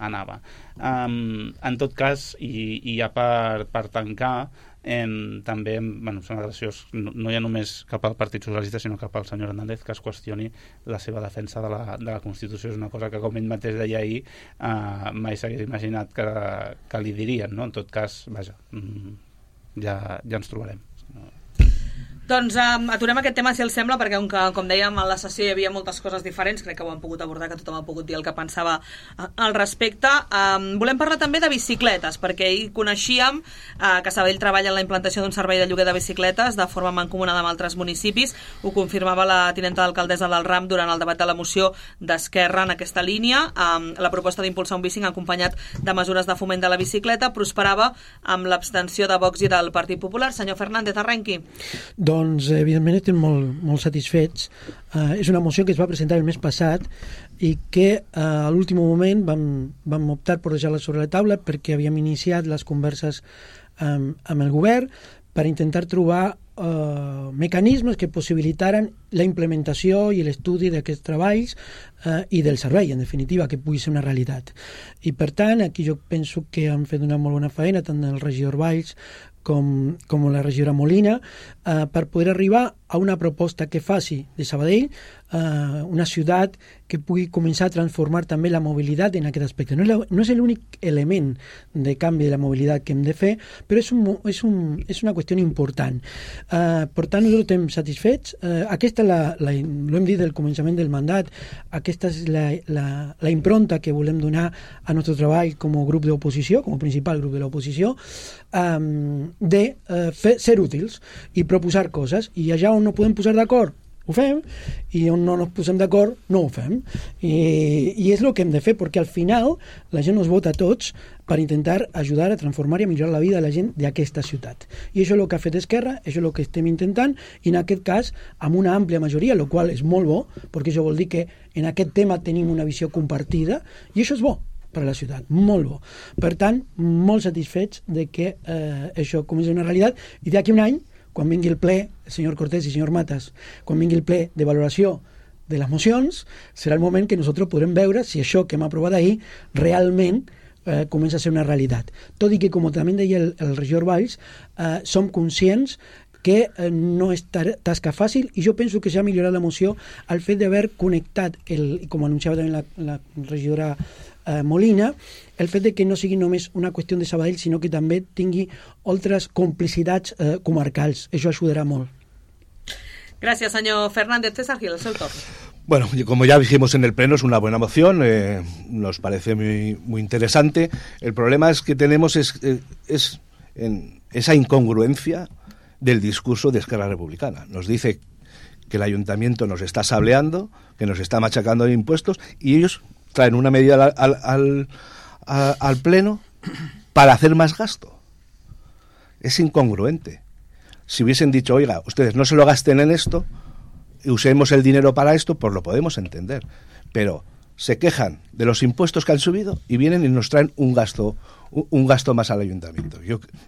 anava. En tot cas, i ja per tancar, també sembla graciós, no hi ha només cap al Partit Socialista sinó cap al senyor Hernández que es qüestioni la seva defensa de la Constitució. És una cosa que, com ell mateix deia ahir, mai s'hagués imaginat que li dirien, no? En tot cas, vaja, ja ens trobarem. Doncs aturem aquest tema, si els sembla, perquè com dèiem, a la sessió hi havia moltes coses diferents, crec que ho han pogut abordar, que tothom ha pogut dir el que pensava al respecte. Volem parlar també de bicicletes, perquè ahir coneixíem que Sabadell treballa en la implantació d'un servei de lloguer de bicicletes de forma mancomunada amb altres municipis. Ho confirmava la tinenta d'alcaldessa del Ram durant el debat de la moció d'Esquerra en aquesta línia. La proposta d'impulsar un bicing acompanyat de mesures de foment de la bicicleta prosperava amb l'abstenció de Vox i del Partit Popular. Senyor Fernández, arrenqui. Doncs, evidentment, estem molt satisfets. És una moció que es va presentar el mes passat i que a l'últim moment vam optar per deixar-la sobre la taula perquè havíem iniciat les converses amb el govern per intentar trobar mecanismes que possibilitaren la implementació i l'estudi d'aquests treballs i del servei, en definitiva, que pugui ser una realitat. I, per tant, aquí jo penso que han fet una molt bona feina, tant el regidor Valls com la regidora Molina, per poder arribar a una proposta que faci de Sabadell una ciutat que pugui començar a transformar també la mobilitat en aquest aspecte. No és l'únic element de canvi de la mobilitat que hem de fer, però és una qüestió important. Per tant, nosaltres estem satisfets. Aquesta, ho hem dit del començament del mandat, aquesta és la impronta que volem donar a nostre treball com a grup d'oposició, com a principal grup de l'oposició, de ser útils i proposar coses, i allà on no podem posar d'acord ho fem, i on no ens posem d'acord no ho fem, i és el que hem de fer, perquè al final la gent ens vota a tots per intentar ajudar a transformar i a millorar la vida de la gent d'aquesta ciutat, i això és el que ha fet Esquerra, això és el que estem intentant, i en aquest cas amb una àmplia majoria, el qual és molt bo, perquè això vol dir que en aquest tema tenim una visió compartida, i això és bo per a la ciutat, molt bo. Per tant, molt satisfets de que això comenci una realitat, i d'aquí un any, quan vingui el ple, senyor Cortés i senyor Matas, quan vingui el ple de valoració de les mocions, serà el moment que nosaltres podrem veure si això que hem aprovat ahir realment comença a ser una realitat. Tot i que, com també deia el regidor Valls, som conscients que no és tasca fàcil, i jo penso que s'ha millorat la moció al fet d'haver connectat, com anunciava també la regidora Molina, el fet de que no sigui només una qüestió de Sabadell, sinó que també tingui altres complicitats comarcals. Això ajudarà molt. Gràcies, senyor Fernández. César Gil, el seu torn. Bueno, como ya dijimos en el pleno, es una buena moción, nos parece muy interesante. El problema es que tenemos es esa incongruencia del discurso de Esquerra Republicana. Nos dice que el ayuntamiento nos está sableando, que nos está machacando de impuestos, y ellos traen una medida al pleno para hacer más gasto. Es incongruente. Si hubiesen dicho, oiga, ustedes no se lo gasten en esto, usemos el dinero para esto, pues lo podemos entender. Pero se quejan de los impuestos que han subido y vienen y nos traen un gasto más al ayuntamiento.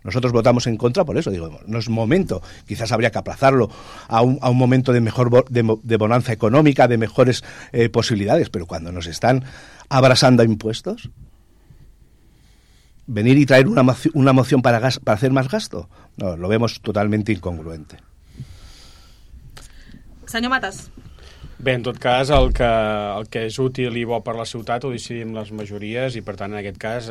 Nosotros votamos en contra por eso. Digo, no es momento. Quizás habría que aplazarlo a un momento de mejor de bonanza económica, de mejores posibilidades, pero cuando nos están abrasando a impuestos, venir y traer una moción para hacer más gasto, no, lo vemos totalmente incongruente. Senyor Matas. Bé, en tot cas, el que és útil i bo per la ciutat ho decidim les majories i, per tant, en aquest cas,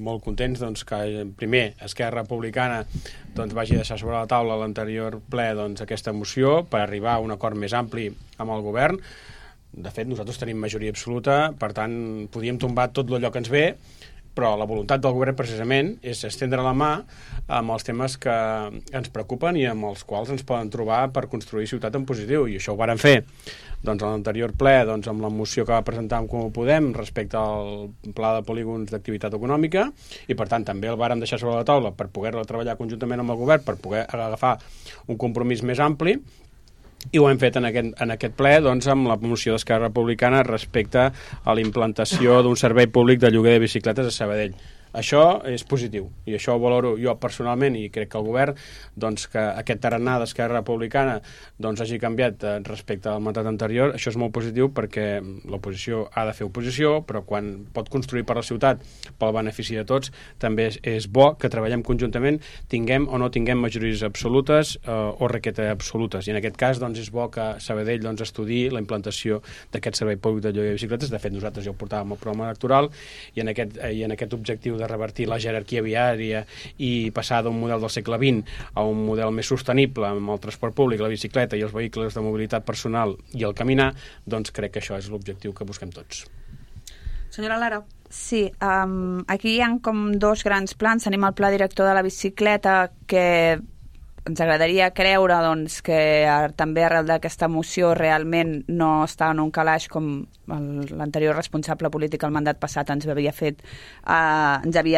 molt contents doncs, que, primer, Esquerra Republicana doncs, vagi deixar sobre la taula l'anterior ple doncs, aquesta moció per arribar a un acord més ampli amb el govern. De fet, nosaltres tenim majoria absoluta, per tant, podíem tombar tot allò que ens ve, però la voluntat del govern precisament és estendre la mà amb els temes que ens preocupen i amb els quals ens poden trobar per construir ciutat en positiu, i això ho varen fer doncs, a l'anterior ple doncs, amb la moció que va presentar amb Com ho Podem respecte al pla de polígons d'activitat econòmica, i per tant també el vàrem deixar sobre la taula per poder treballar conjuntament amb el govern, per poder agafar un compromís més ampli, i ho hem fet en aquest ple doncs, amb la moció d'Esquerra Republicana respecte a la implantació d'un servei públic de lloguer de bicicletes a Sabadell. Això és positiu, i això ho valoro jo personalment, i crec que el govern, doncs, que aquest tarannà d'Esquerra Republicana doncs, hagi canviat respecte al mandat anterior. Això és molt positiu perquè l'oposició ha de fer oposició, però quan pot construir per la ciutat pel benefici de tots, també és bo que treballem conjuntament, tinguem o no tinguem majories absolutes o requete absolutes, i en aquest cas doncs, és bo que Sabadell doncs, estudiï la implantació d'aquest servei públic de lloguer de bicicletes. De fet, nosaltres ja ho portàvem al programa electoral, i en aquest objectiu de revertir la jerarquia viària i passar d'un model del segle XX a un model més sostenible amb el transport públic, la bicicleta i els vehicles de mobilitat personal i el caminar, doncs crec que això és l'objectiu que busquem tots. Senyora Lara. Sí, aquí hi ha com dos grans plans. Tenim el pla director de la bicicleta, que ens agradaria creure doncs, que també arrel d'aquesta moció realment no està en un calaix com l'anterior responsable polític al mandat passat ens havia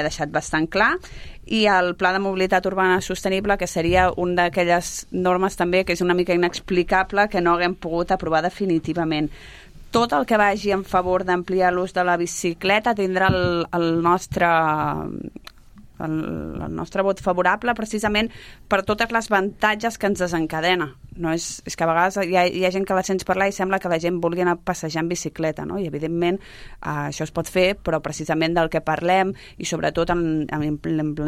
deixat bastant clar, i el pla de mobilitat urbana sostenible, que seria una d'aquelles normes també que és una mica inexplicable que no haguem pogut aprovar definitivament. Tot el que vagi en favor d'ampliar l'ús de la bicicleta tindrà el nostre vot favorable, precisament per totes les avantatges que ens desencadena. No és que a vegades hi ha gent que la sents parlar i sembla que la gent vulgui anar a passejar en bicicleta, no? I evidentment això es pot fer, però precisament del que parlem, i sobretot amb la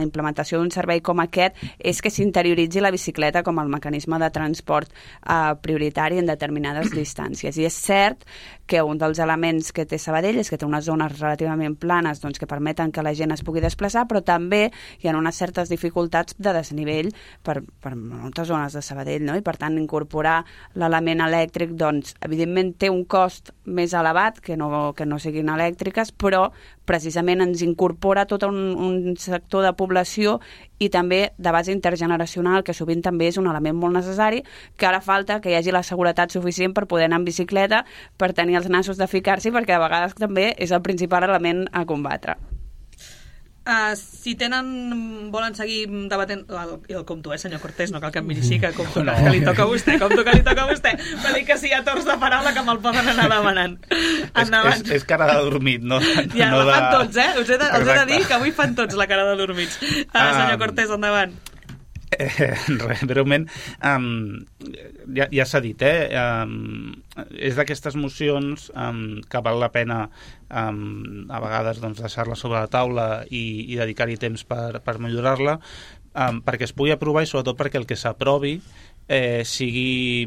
implementació d'un servei com aquest, és que s'interioritzi la bicicleta com el mecanisme de transport prioritari en determinades distàncies. I és cert que un dels elements que té Sabadell és que té unes zones relativament planes doncs, que permeten que la gent es pugui desplaçar, però també hi ha unes certes dificultats de desnivell per moltes zones de Sabadell, no? I per tant incorporar l'element elèctric doncs, evidentment té un cost més elevat que no siguin elèctriques, però precisament ens incorpora tot un sector de població i també de base intergeneracional, que sovint també és un element molt necessari, que ara falta que hi hagi la seguretat suficient per poder anar en bicicleta, per tenir els nassos de ficar-s'hi, perquè de vegades també és el principal element a combatre. Si volen seguir debatent el compto, senyor Cortés, no cal que em miri així, que compto que li toca a vostè, va dir que si hi ha torns de paraula que me'l poden anar demanant. Endavant. És cara de dormit, no? Ja, la fan tots, us he de dir que avui fan tots la cara de dormits. Senyor Cortés, endavant. Breument, ja s'ha dit, és d'aquestes mocions que val la pena a vegades doncs, deixar-la sobre la taula i dedicar-hi temps per millorar-la, perquè es pugui aprovar i sobretot perquè el que s'aprovi sigui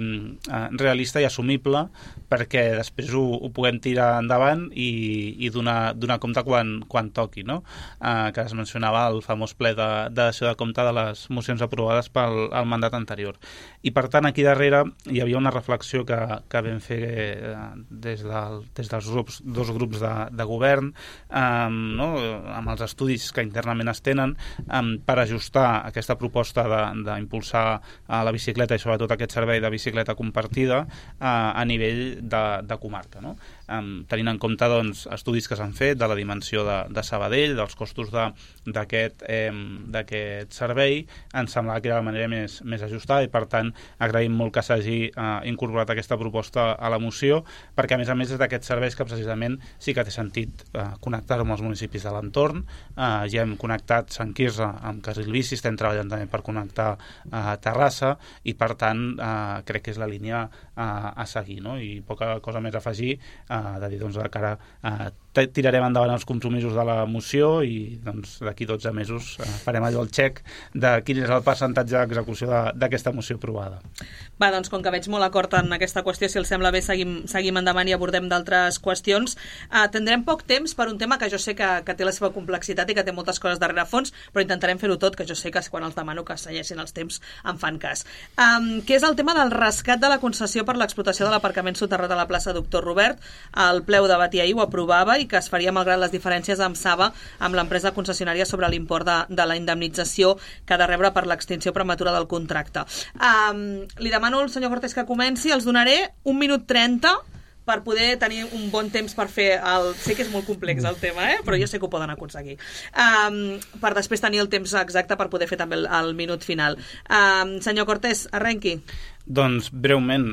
realista i assumible, perquè després ho puguem tirar endavant i donar compte quan toqui, no? Que es mencionava el famós ple de dació de compte de les mocions aprovades pel mandat anterior. I per tant aquí darrere hi havia una reflexió que vam fer des dels dos grups de govern, no? Amb els estudis que internament es tenen, per ajustar aquesta proposta d'impulsar la bicicleta i sobretot aquest servei de bicicleta compartida a nivell de comarca, no? Tenint en compte doncs, estudis que s'han fet de la dimensió de Sabadell, dels costos d'aquest servei, ens semblava que era la manera més ajustada, i per tant agraïm molt que s'hagi incorporat aquesta proposta a la moció, perquè a més és d'aquests serveis que precisament sí que té sentit connectar-ho amb els municipis de l'entorn. Ja hem connectat Sant Quirze amb Carril Bici, estem treballant també per connectar Terrassa, i per tant crec que és la línia a seguir, no? I poca cosa més a afegir, de dir doncs, de cara a tirarem endavant els compromisos de la moció i doncs, d'aquí 12 mesos farem allò el xec de quin és el percentatge d'execució d'aquesta moció aprovada. Va, doncs com que veig molt acord en aquesta qüestió, si els sembla bé seguim endavant i abordem d'altres qüestions. Tindrem poc temps per un tema que jo sé que té la seva complexitat i que té moltes coses darrere fons, però intentarem fer-ho tot, que jo sé que quan els demano que segueixin els temps em fan cas. Que és el tema del rescat de la concessió per l'explotació de l'aparcament soterrat a la plaça Doctor Robert. El ple ho debatia ahir, ho aprovava, i que es faria malgrat les diferències amb Saba, amb l'empresa concessionària sobre l'import de la indemnització que ha de rebre per l'extinció prematura del contracte. Li demano al senyor Cortés que comenci, els donaré 1 minut 30 per poder tenir un bon temps per fer Sé que és molt complex el tema, però jo sé que ho poden aconseguir. Per després tenir el temps exacte per poder fer també el minut final. Senyor Cortés, arrenqui. Doncs, breument,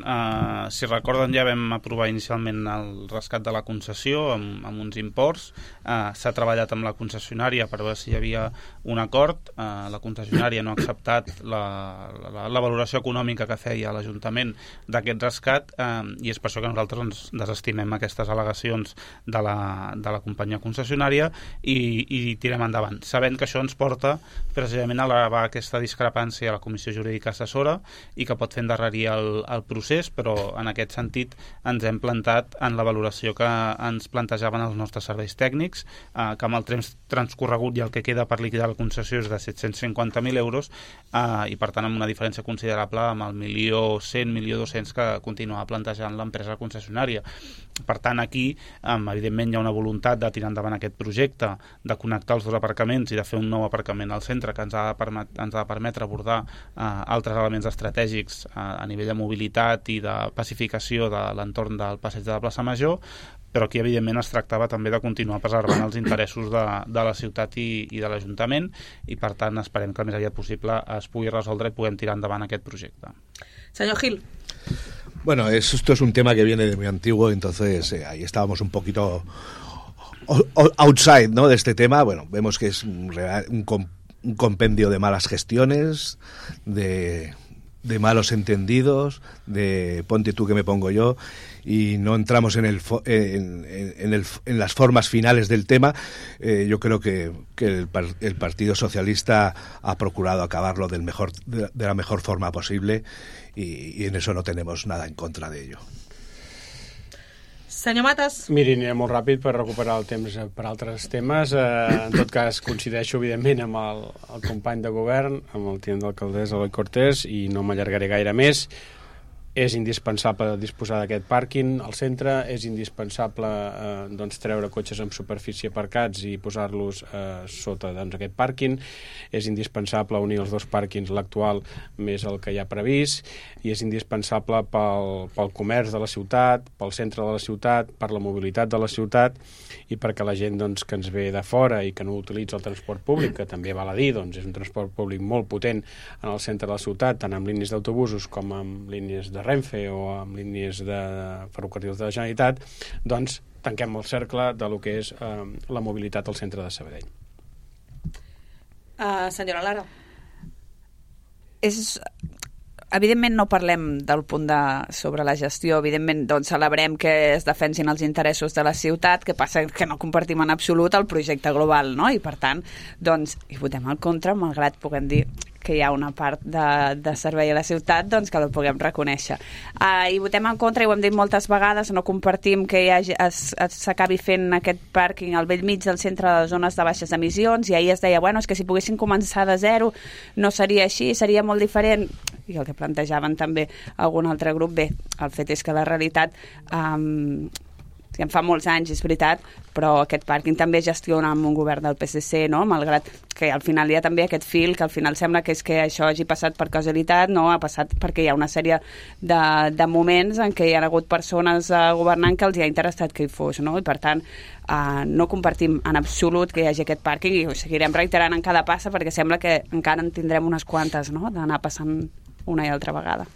si recorden, ja vam aprovar inicialment el rescat de la concessió amb uns imports. S'ha treballat amb la concessionària per veure si hi havia un acord. La concessionària no ha acceptat la valoració econòmica que feia l'Ajuntament d'aquest rescat, i és per això que nosaltres ens desestimem aquestes al·legacions de la companyia concessionària i tirem endavant, sabent que això ens porta precisament a elevar aquesta discrepància a la Comissió Jurídica Assessora i que pot fer endarrerir el procés, però en aquest sentit ens hem plantat en la valoració que ens plantejaven els nostres serveis tècnics, que amb el temps transcorregut i el que queda per liquidar la concessió és de 750.000 euros, i per tant amb una diferència considerable amb el 1.100.000, 1.200.000 que continuava plantejant l'empresa concessionària. Per tant, aquí, evidentment, hi ha una voluntat de tirar endavant aquest projecte, de connectar els dos aparcaments i de fer un nou aparcament al centre que ens ha de permetre abordar altres elements estratègics a nivell de mobilitat i de pacificació de l'entorn del passeig de la plaça Major, però aquí evidentment es tractava també de continuar preservant els interessos de la ciutat i de l'Ajuntament, i per tant esperem que el més aviat possible es pugui resoldre i puguem tirar endavant aquest projecte. Senyor Gil. Bueno, esto es un tema que viene de muy antiguo, entonces ahí estábamos un poquito outside, ¿no?, de este tema. Bueno, vemos que es un compendio de malas gestiones, de malos entendidos, de ponte tú que me pongo yo, y no entramos en las formas finales del tema. Yo creo que el Partido Socialista ha procurado acabarlo de la mejor forma posible, y en eso no tenemos nada en contra de ello. Senyor Matas. Miri, aniré molt ràpid per recuperar el temps per altres temes. En tot cas, coincideixo, evidentment, amb el company de govern, amb el tinent d'alcaldessa Eloi Cortés, i no m'allargaré gaire més. És indispensable disposar d'aquest pàrquing al centre, és indispensable treure cotxes amb superfície aparcats i posar-los sota aquest pàrquing, és indispensable unir els dos pàrquings, l'actual més el que hi ha previst, i és indispensable pel comerç de la ciutat, pel centre de la ciutat, per la mobilitat de la ciutat, i perquè la gent que ens ve de fora i que no utilitza el transport públic, que també val a dir, és un transport públic molt potent en el centre de la ciutat, tant amb línies d'autobusos com amb línies de Renfe o amb línies de ferrocarrils de la Generalitat, doncs tanquem el cercle de lo que és la mobilitat al centre de Sabadell. Senyora Lara. Evidentment no parlem del punt sobre la gestió, evidentment celebrem que es defensin els interessos de la ciutat, que passa que no compartim en absolut el projecte global, no? I per tant, hi votem en contra, malgrat puguem dir que hi ha una part de servei a la ciutat que la puguem reconèixer. I votem en contra, i ho hem dit moltes vegades, no compartim que s'acabi fent aquest pàrquing al bell mig del centre de les zones de baixes emissions, i ahir es deia, és que si poguessin començar de zero no seria així, seria molt diferent, i el que plantejaven també algun altre grup. Bé, el fet és que la realitat en fa molts anys, és veritat, però aquest pàrquing també gestiona amb un govern del PSC, no? Malgrat que al final hi ha també aquest fil, que al final sembla que és que això hagi passat per causalitat, no, ha passat perquè hi ha una sèrie de moments en què hi ha hagut persones governant que els hi ha interessat que hi fos, no? I per tant, no compartim en absolut que hi hagi aquest pàrquing, i ho seguirem reiterant en cada passa, perquè sembla que encara en tindrem unes quantes, no?, d'anar passant una i altra vegada.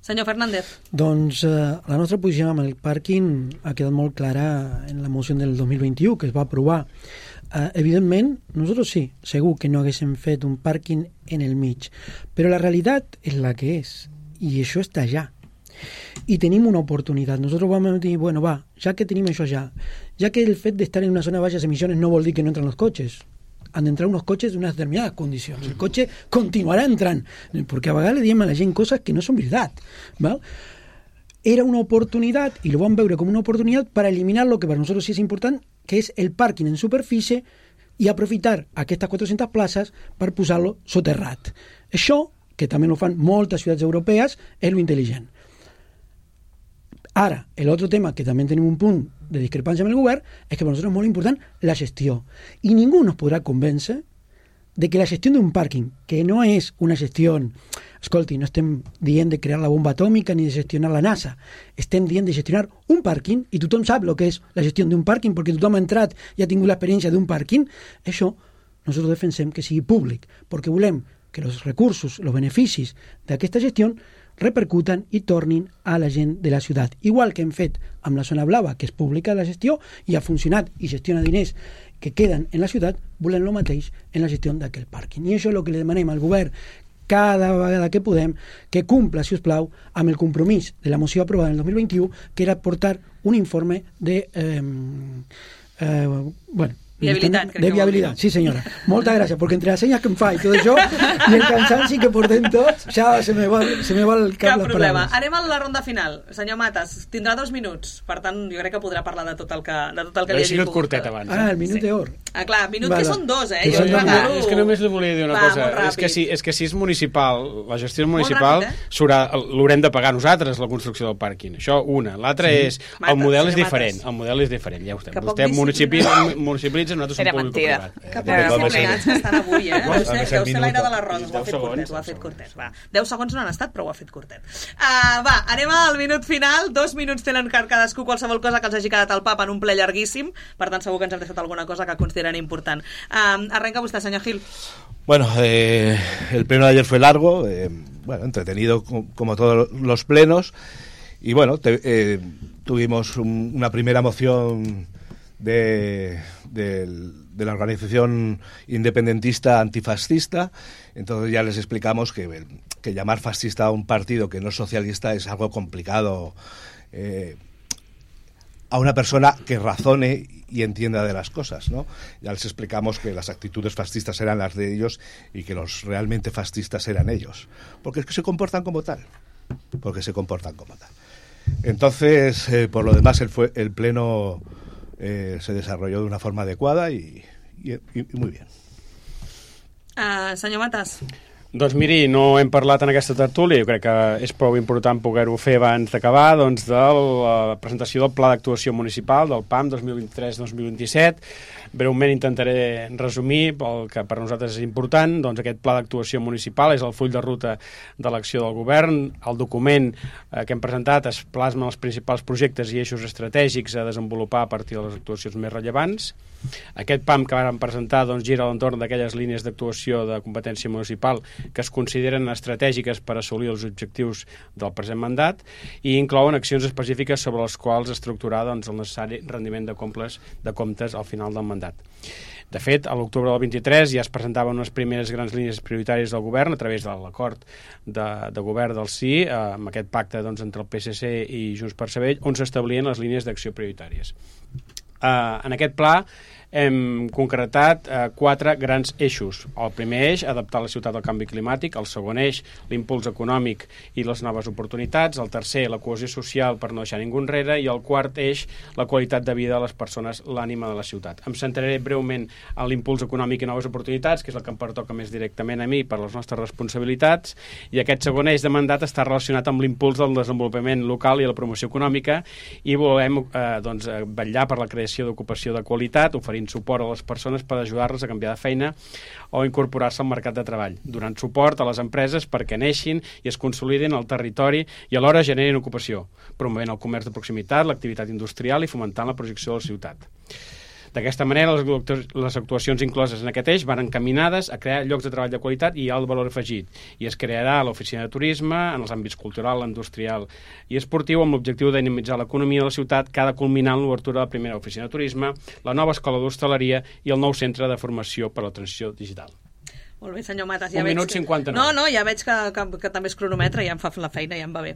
Senyor Fernández. Doncs la nostra posició amb el pàrquing ha quedat molt clara en la moció del 2021 que es va aprovar. Evidentment, nosaltres sí, segur que no haguéssim fet un pàrquing en el mig, però la realitat és la que és, i això està allà. I tenim una oportunitat. Nosaltres vam dir, bueno, va, ja que tenim això ja que el fet d'estar en una zona de baixes emissions no vol dir que no entren los coches. Han d'entrar unos coches d'unes determinades condicions. El cotxe continuarà entrant, perquè a vegades le diem a la gent coses que no són veritat. ¿Val? Era una oportunitat, i lo vam veure com una oportunitat per eliminar lo que per nosaltres sí és important, que és el pàrquing en superfície i aprofitar aquestes 400 places per posar-lo soterrat. Això, que també ho fan moltes ciutats europees, és lo intel·ligent. Ara, l'altre tema, que també tenim un punt de discrepància amb el govern, és que per nosaltres és molt important la gestió. I ningú nos podrà convèncer de que la gestió d'un pàrquing, que no és una gestió... Escolti, no estem dient de crear la bomba atòmica ni de gestionar la NASA. Estem dient de gestionar un pàrquing, i tothom sap el que és la gestió d'un pàrquing, perquè tothom ha entrat i ha tingut l'experiència d'un pàrquing. Això nosaltres defensem que sigui públic, perquè volem que els recursos, els beneficis d'aquesta gestió repercuten i tornin a la gent de la ciutat. Igual que hem fet amb la zona blava, que és pública la gestió, i ha funcionat i gestiona diners que queden en la ciutat, volem el mateix en la gestió d'aquell pàrquing. I això és el que li demanem al govern cada vegada que podem, que cumpla, si us plau, amb el compromís de la moció aprovada en el 2021, que era portar un informe de... Viabilitat, crec de viabilitat, sí senyora. Moltes gràcies, perquè entre les senyes que em fa i tot això, i el cansanci que portem tots, ja se me va el cap les problema. paraules. Anem a la ronda final. Senyor Matas, tindrà 2 minuts, per tant, jo crec que podrà parlar de tot el que li hagi pogut. Curtet abans. El minut d'or. Clar, minut que són 2, Que són dos minuts. És que només li volia dir una cosa. És que si és municipal, la gestió municipal, l'haurem de pagar nosaltres, la construcció del pàrquing. Això, una. L'altra és, el model és diferent. El model és diferent, ja ho estem. Vostè municipalitza, nosaltres som públic-privat. Que poc disciplinats que estan avui, Deu ser l'aire de les roses. Ho ha fet curtet. 10 segons no han estat, però ho ha fet curtet. Va, anem al minut final. 2 minuts tenen cadascú qualsevol cosa que els hagi quedat al pap en un ple llarguíssim. Per tant, segur que ens hem deixat alguna cosa que consideren important. Arrenca vostè, senyor Gil. Bueno, el pleno de ayer fue largo, entretenido como todos los plenos, y bueno, tuvimos una primera moción de la organización independentista antifascista. Entonces ya les explicamos que llamar fascista a un partido que no es socialista es algo complicado a una persona que razone y entienda de las cosas, ¿no? Ya les explicamos que las actitudes fascistas eran las de ellos y que los realmente fascistas eran ellos, porque es que se comportan como tal. Entonces, por lo demás, el pleno se desarrolló de una forma adecuada y muy bien. Senyor Matas. Doncs miri, no hem parlat en aquesta tertúlia, jo crec que és prou important poder-ho fer abans d'acabar, doncs, de la presentació del Pla d'Actuació Municipal, del PAM 2023-2027. Breument intentaré resumir el que per nosaltres és important. Doncs aquest Pla d'Actuació Municipal és el full de ruta de l'acció del govern. El document que hem presentat es plasma els principals projectes i eixos estratègics a desenvolupar a partir de les actuacions més rellevants. Aquest PAM que vam presentar doncs, gira a l'entorn d'aquelles línies d'actuació de competència municipal que es consideren estratègiques per assolir els objectius del present mandat i inclouen accions específiques sobre les quals estructurar doncs, el necessari rendiment de comptes al final del mandat. De fet, a l'octubre del 23 ja es presentaven unes primeres grans línies prioritàries del govern a través de l'acord de govern del sí, amb aquest pacte doncs, entre el PSC i Junts per Sabadell, on s'establien les línies d'acció prioritàries. En aquest pla hem concretat 4 grans eixos. El primer eix, adaptar la ciutat al canvi climàtic. El segon eix, l'impuls econòmic i les noves oportunitats. El tercer, la cohesió social per no deixar ningú enrere. I el quart eix, la qualitat de vida de les persones, l'ànima de la ciutat. Em centraré breument en l'impuls econòmic i noves oportunitats, que és el que em pertoca més directament a mi per les nostres responsabilitats. I aquest segon eix de mandat està relacionat amb l'impuls del desenvolupament local i la promoció econòmica i volem vetllar per la creació d'ocupació de qualitat, oferint suport a les persones per ajudar-les a canviar de feina o incorporar-se al mercat de treball, donant suport a les empreses perquè neixin i es consolidin al territori i alhora generin ocupació, promovent el comerç de proximitat, l'activitat industrial i fomentant la projecció de la ciutat. D'aquesta manera, les actuacions incloses en aquest eix van encaminades a crear llocs de treball de qualitat i alt valor afegit, i es crearà l'oficina de turisme en els àmbits cultural, industrial i esportiu amb l'objectiu de dinamitzar l'economia de la ciutat, que ha de culminar en l'obertura de la primera oficina de turisme, la nova escola d'hostaleria i el nou centre de formació per a la transició digital. Molt bé, senyor Matas. 1 minut 59. No, ja veig que també és cronometre, ja em fa la feina, ja em va bé.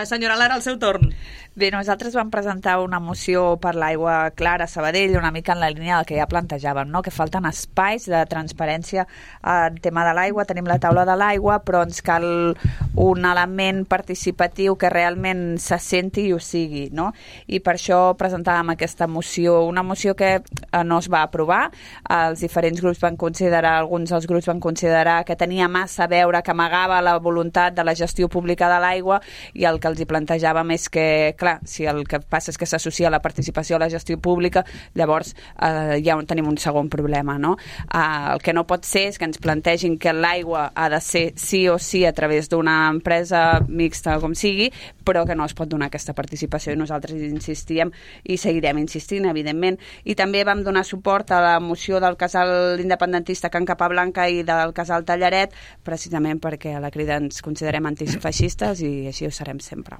Senyora Lara, el seu torn. Bé, nosaltres vam presentar una moció per l'aigua clara a Sabadell, una mica en la línia del que ja plantejàvem, no? Que falten espais de transparència en tema de l'aigua. Tenim la taula de l'aigua, però ens cal un element participatiu que realment se senti i ho sigui, no? I per això presentàvem aquesta moció, una moció que no es va aprovar. Els diferents grups van considerar, alguns dels grups van considerar que tenia massa a veure, que amagava la voluntat de la gestió pública de l'aigua, i el que els hi plantejàvem és que, clar, si el que passa és que s'associa la participació a la gestió pública, llavors ja tenim un segon problema, no? El que no pot ser és que ens plantegin que l'aigua ha de ser sí o sí a través d'una empresa mixta, com sigui, però que no es pot donar aquesta participació, i nosaltres insistíem i seguirem insistint, evidentment. I també vam donar suport a la moció del casal independentista Can Capablanca i del casal Tallaret, precisament perquè a la Crida ens considerem antifeixistes i així ho serem sempre.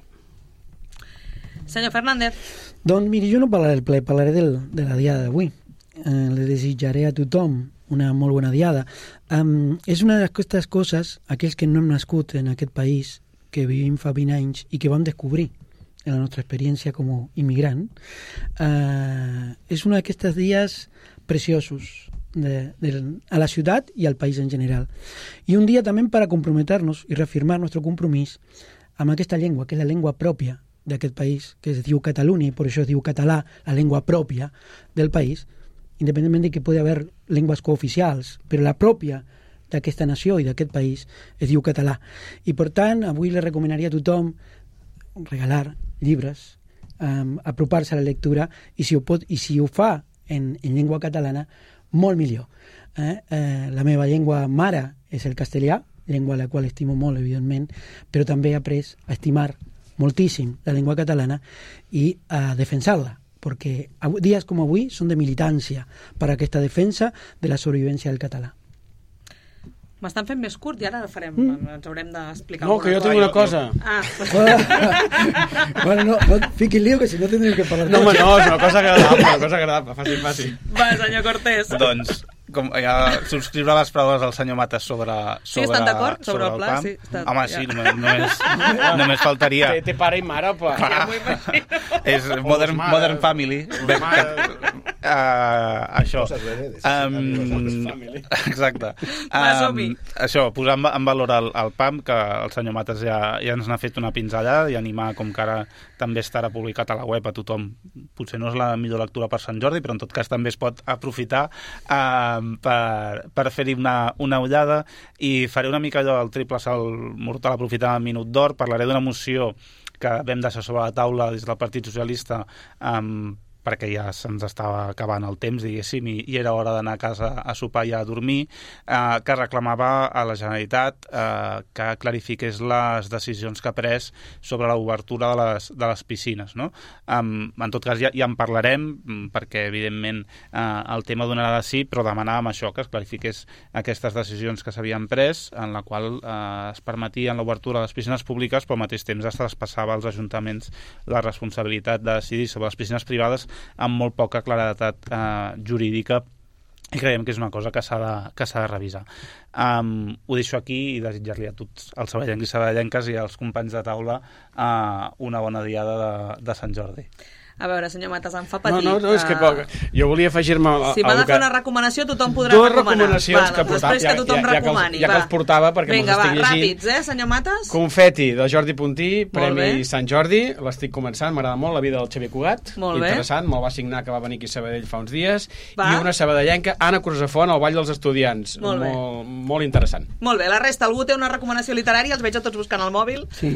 Senyor Fernández. Doncs miri, jo no parlaré del ple, parlaré de la diada d'avui. Le desitjaré a tothom una molt bona diada. És una d'aquestes coses, aquells que no hem nascut en aquest país, que vivim fa 20 anys i que vam descobrir en la nostra experiència com a immigrant, és un d'aquests dies preciosos a la ciutat i al país en general. I un dia també per a comprometernos i reafirmar el nostre compromís amb aquesta llengua, que és la llengua pròpia d'aquest país, que es diu Catalunya, i per això es diu català, la llengua pròpia del país, independentment de que pugui haver llengües cooficials, però la pròpia d'aquesta nació i d'aquest país es diu català. I per tant, avui li recomanaria a tothom regalar llibres, apropar-se a la lectura, i si ho fa en llengua catalana, molt millor. La meva llengua mare és el castellà, llengua a la qual estimo molt, evidentment, però també he après a estimar moltíssim la llengua catalana i a defensar-la, perquè dies com avui són de militància per a aquesta defensa de la sobrevivència del català. M'estan fent més curt i ara farem, ens haurem d'explicar. No, que jo tinc una cosa. Bueno, no fiqui lío, que si no tindríem que parlar. No, és una cosa agradable, fàcil. Va, senyor Cortés. Doncs, com ja subscriure les paraules del senyor Matas sobre sí, estan d'acord? Sobre el pla? Sí, home, sí, només faltaria. Té pare i mare, pla. Ja m'ho imagino. És Modern Family. Això. Exacte. Això, posar en valor el PAM, que el senyor Matas ja ens n'ha fet una pinzellada, i animar, com que ara també estarà publicat a la web a tothom. Potser no és la millor lectura per Sant Jordi, però en tot cas també es pot aprofitar per fer-hi una ullada, i faré una mica allò del triple salt mortal aprofitant el minut d'or. Parlaré d'una moció que vam deixar sobre la taula des del Partit Socialista perquè ja se'ns estava acabant el temps, diguéssim, i era hora d'anar a casa a sopar i a dormir, que reclamava a la Generalitat que clarifiqués les decisions que ha pres sobre l'obertura de les piscines, no? En tot cas ja en parlarem, perquè evidentment el tema donarà de sí, però demanàvem això, que es clarifiqués aquestes decisions que s'havien pres, en la qual es permetien l'obertura de les piscines públiques, però al mateix temps es traspassava als ajuntaments la responsabilitat de decidir sobre les piscines privades amb molt poca claredat jurídica, i creiem que és una cosa que s'ha de revisar. Ho deixo aquí i desitjar-li a tots els sabadellencs i sabadellenques i als companys de taula una bona diada de Sant Jordi. A veure, senyor Matas, em fa patir. No, és que jo volia afegir-me... Si m'ha de fer una recomanació, tothom podrà recomanar. Dues recomanacions que portava. Després que tothom recomani. Ja que els portava, perquè me'ls estic llegint. Vinga, va, ràpids, senyor Matas? De Jordi Puntí, Premi Sant Jordi. L'estic començant, m'agrada molt, La vida del Xavier Cugat. Molt bé. Interessant, me'l va signar, que va venir aquí a Sabadell fa uns dies. I una sabadellenca, Anna Cruzafont, El ball dels estudiants. Molt interessant. Molt bé, la resta, algú té una recomanació literària? Els veig a tots buscant el mòbil. Sí,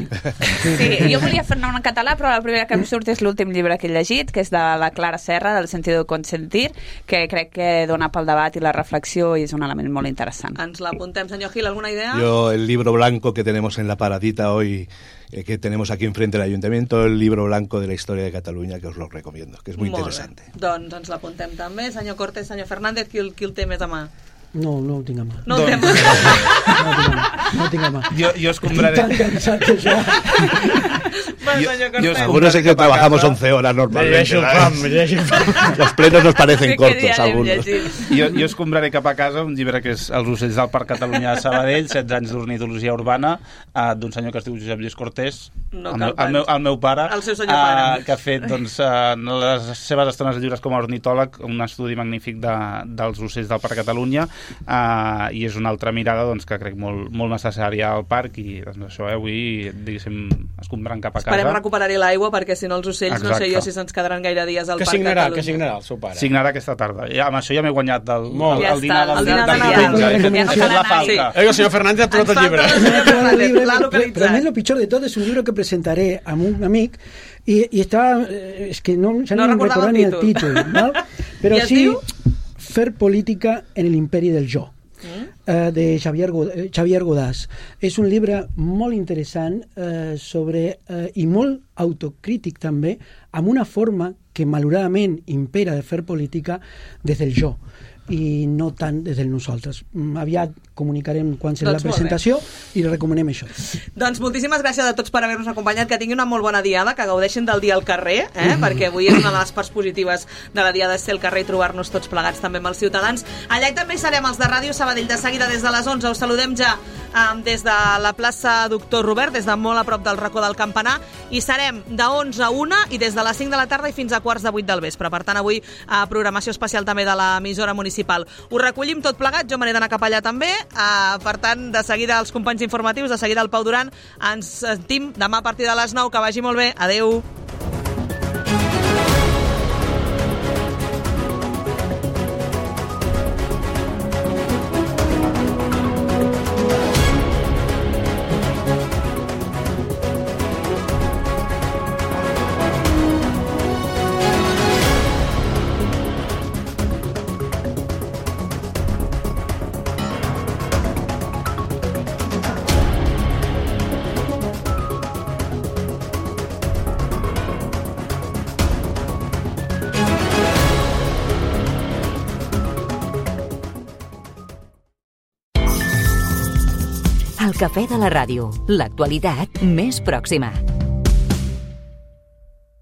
jo volia fer-ne una en català, però la primera que em surt és l'últim llibre que he llegit, que és de la Clara Serra, del sentido de consentir, que crec que dona pel debat i la reflexió i és un element molt interessant. Ens l'apuntem, senyor Gil, ¿alguna idea? Yo, el libro blanco que tenemos en la paradita hoy, que tenemos aquí enfrente del Ayuntamiento, el libro blanco de la historia de Cataluña, que os lo recomiendo, que es muy interesante. Doncs ens l'apuntem també. Senyor Cortés, senyor Fernández, qui el té més a mà? No ho tinc a mà. No ho tinc a mà. No ho tinc a mà. Jo escombraré. Estic tan cansat d'això. Algunos es que trabajamos 11 horas normalmente. Los plenos nos parecen cortos, algunos. Jo escombraré cap a casa un llibre que és Els ocells del Parc Catalunya de Sabadell, 16 anys d'ornitologia urbana, d'un senyor que es diu Josep Lluís Cortés, el meu pare, el seu senyor pare, que ha fet les seves estones lliures com a ornitòleg un estudi magnífic dels ocells del Parc Catalunya, i és una altra mirada que crec molt necessària al parc, i això, avui, diguéssim, escombrant cap a casa. Esperem recuperar-hi l'aigua, perquè si no els ocells, no sé jo si se'ns quedaran gaire dies al Parc Catalunya. Què signarà el seu pare? Signarà aquesta tarda. Amb això ja m'he guanyat el dinar del diumenge. El senyor Fernández ha trobat el llibre. Pero a mí lo pichor de todo es un libro que presentaré a un amic y estaba, es que no recordaba ni el título, ¿no? Pero sí, Fer política en el imperi del jo, de Xavier Godàs. És un llibre molt interessant i molt autocrític també, amb una forma que malauradament impera de fer política des del jo i no tant des del nosaltres. Aviat comunicarem quan serà la presentació i recomanem això. Doncs moltíssimes gràcies a tots per haver-nos acompanyat, que tinguin una molt bona diada, que gaudeixin del dia al carrer, perquè avui és una de les parts positives de la diada, ser al carrer i trobar-nos tots plegats també amb els ciutadans. Allà també serem els de Ràdio Sabadell de seguida des de les 11. Us saludem ja des de la plaça Doctor Robert, des de molt a prop del racó del Campanar, i serem de 11 a 1 i des de les 5 de la tarda i fins a 7:45 del vespre. Per tant, avui programació especial també de l'emissora municipal. Ho recollim tot plegat, jo me n'he d'anar cap allà també. Per tant, de seguida els companys informatius, de seguida el Pau Duran. Ens sentim demà a partir de les 9. Que vagi molt bé. Adeu. El cafè de la ràdio, l'actualitat més pròxima.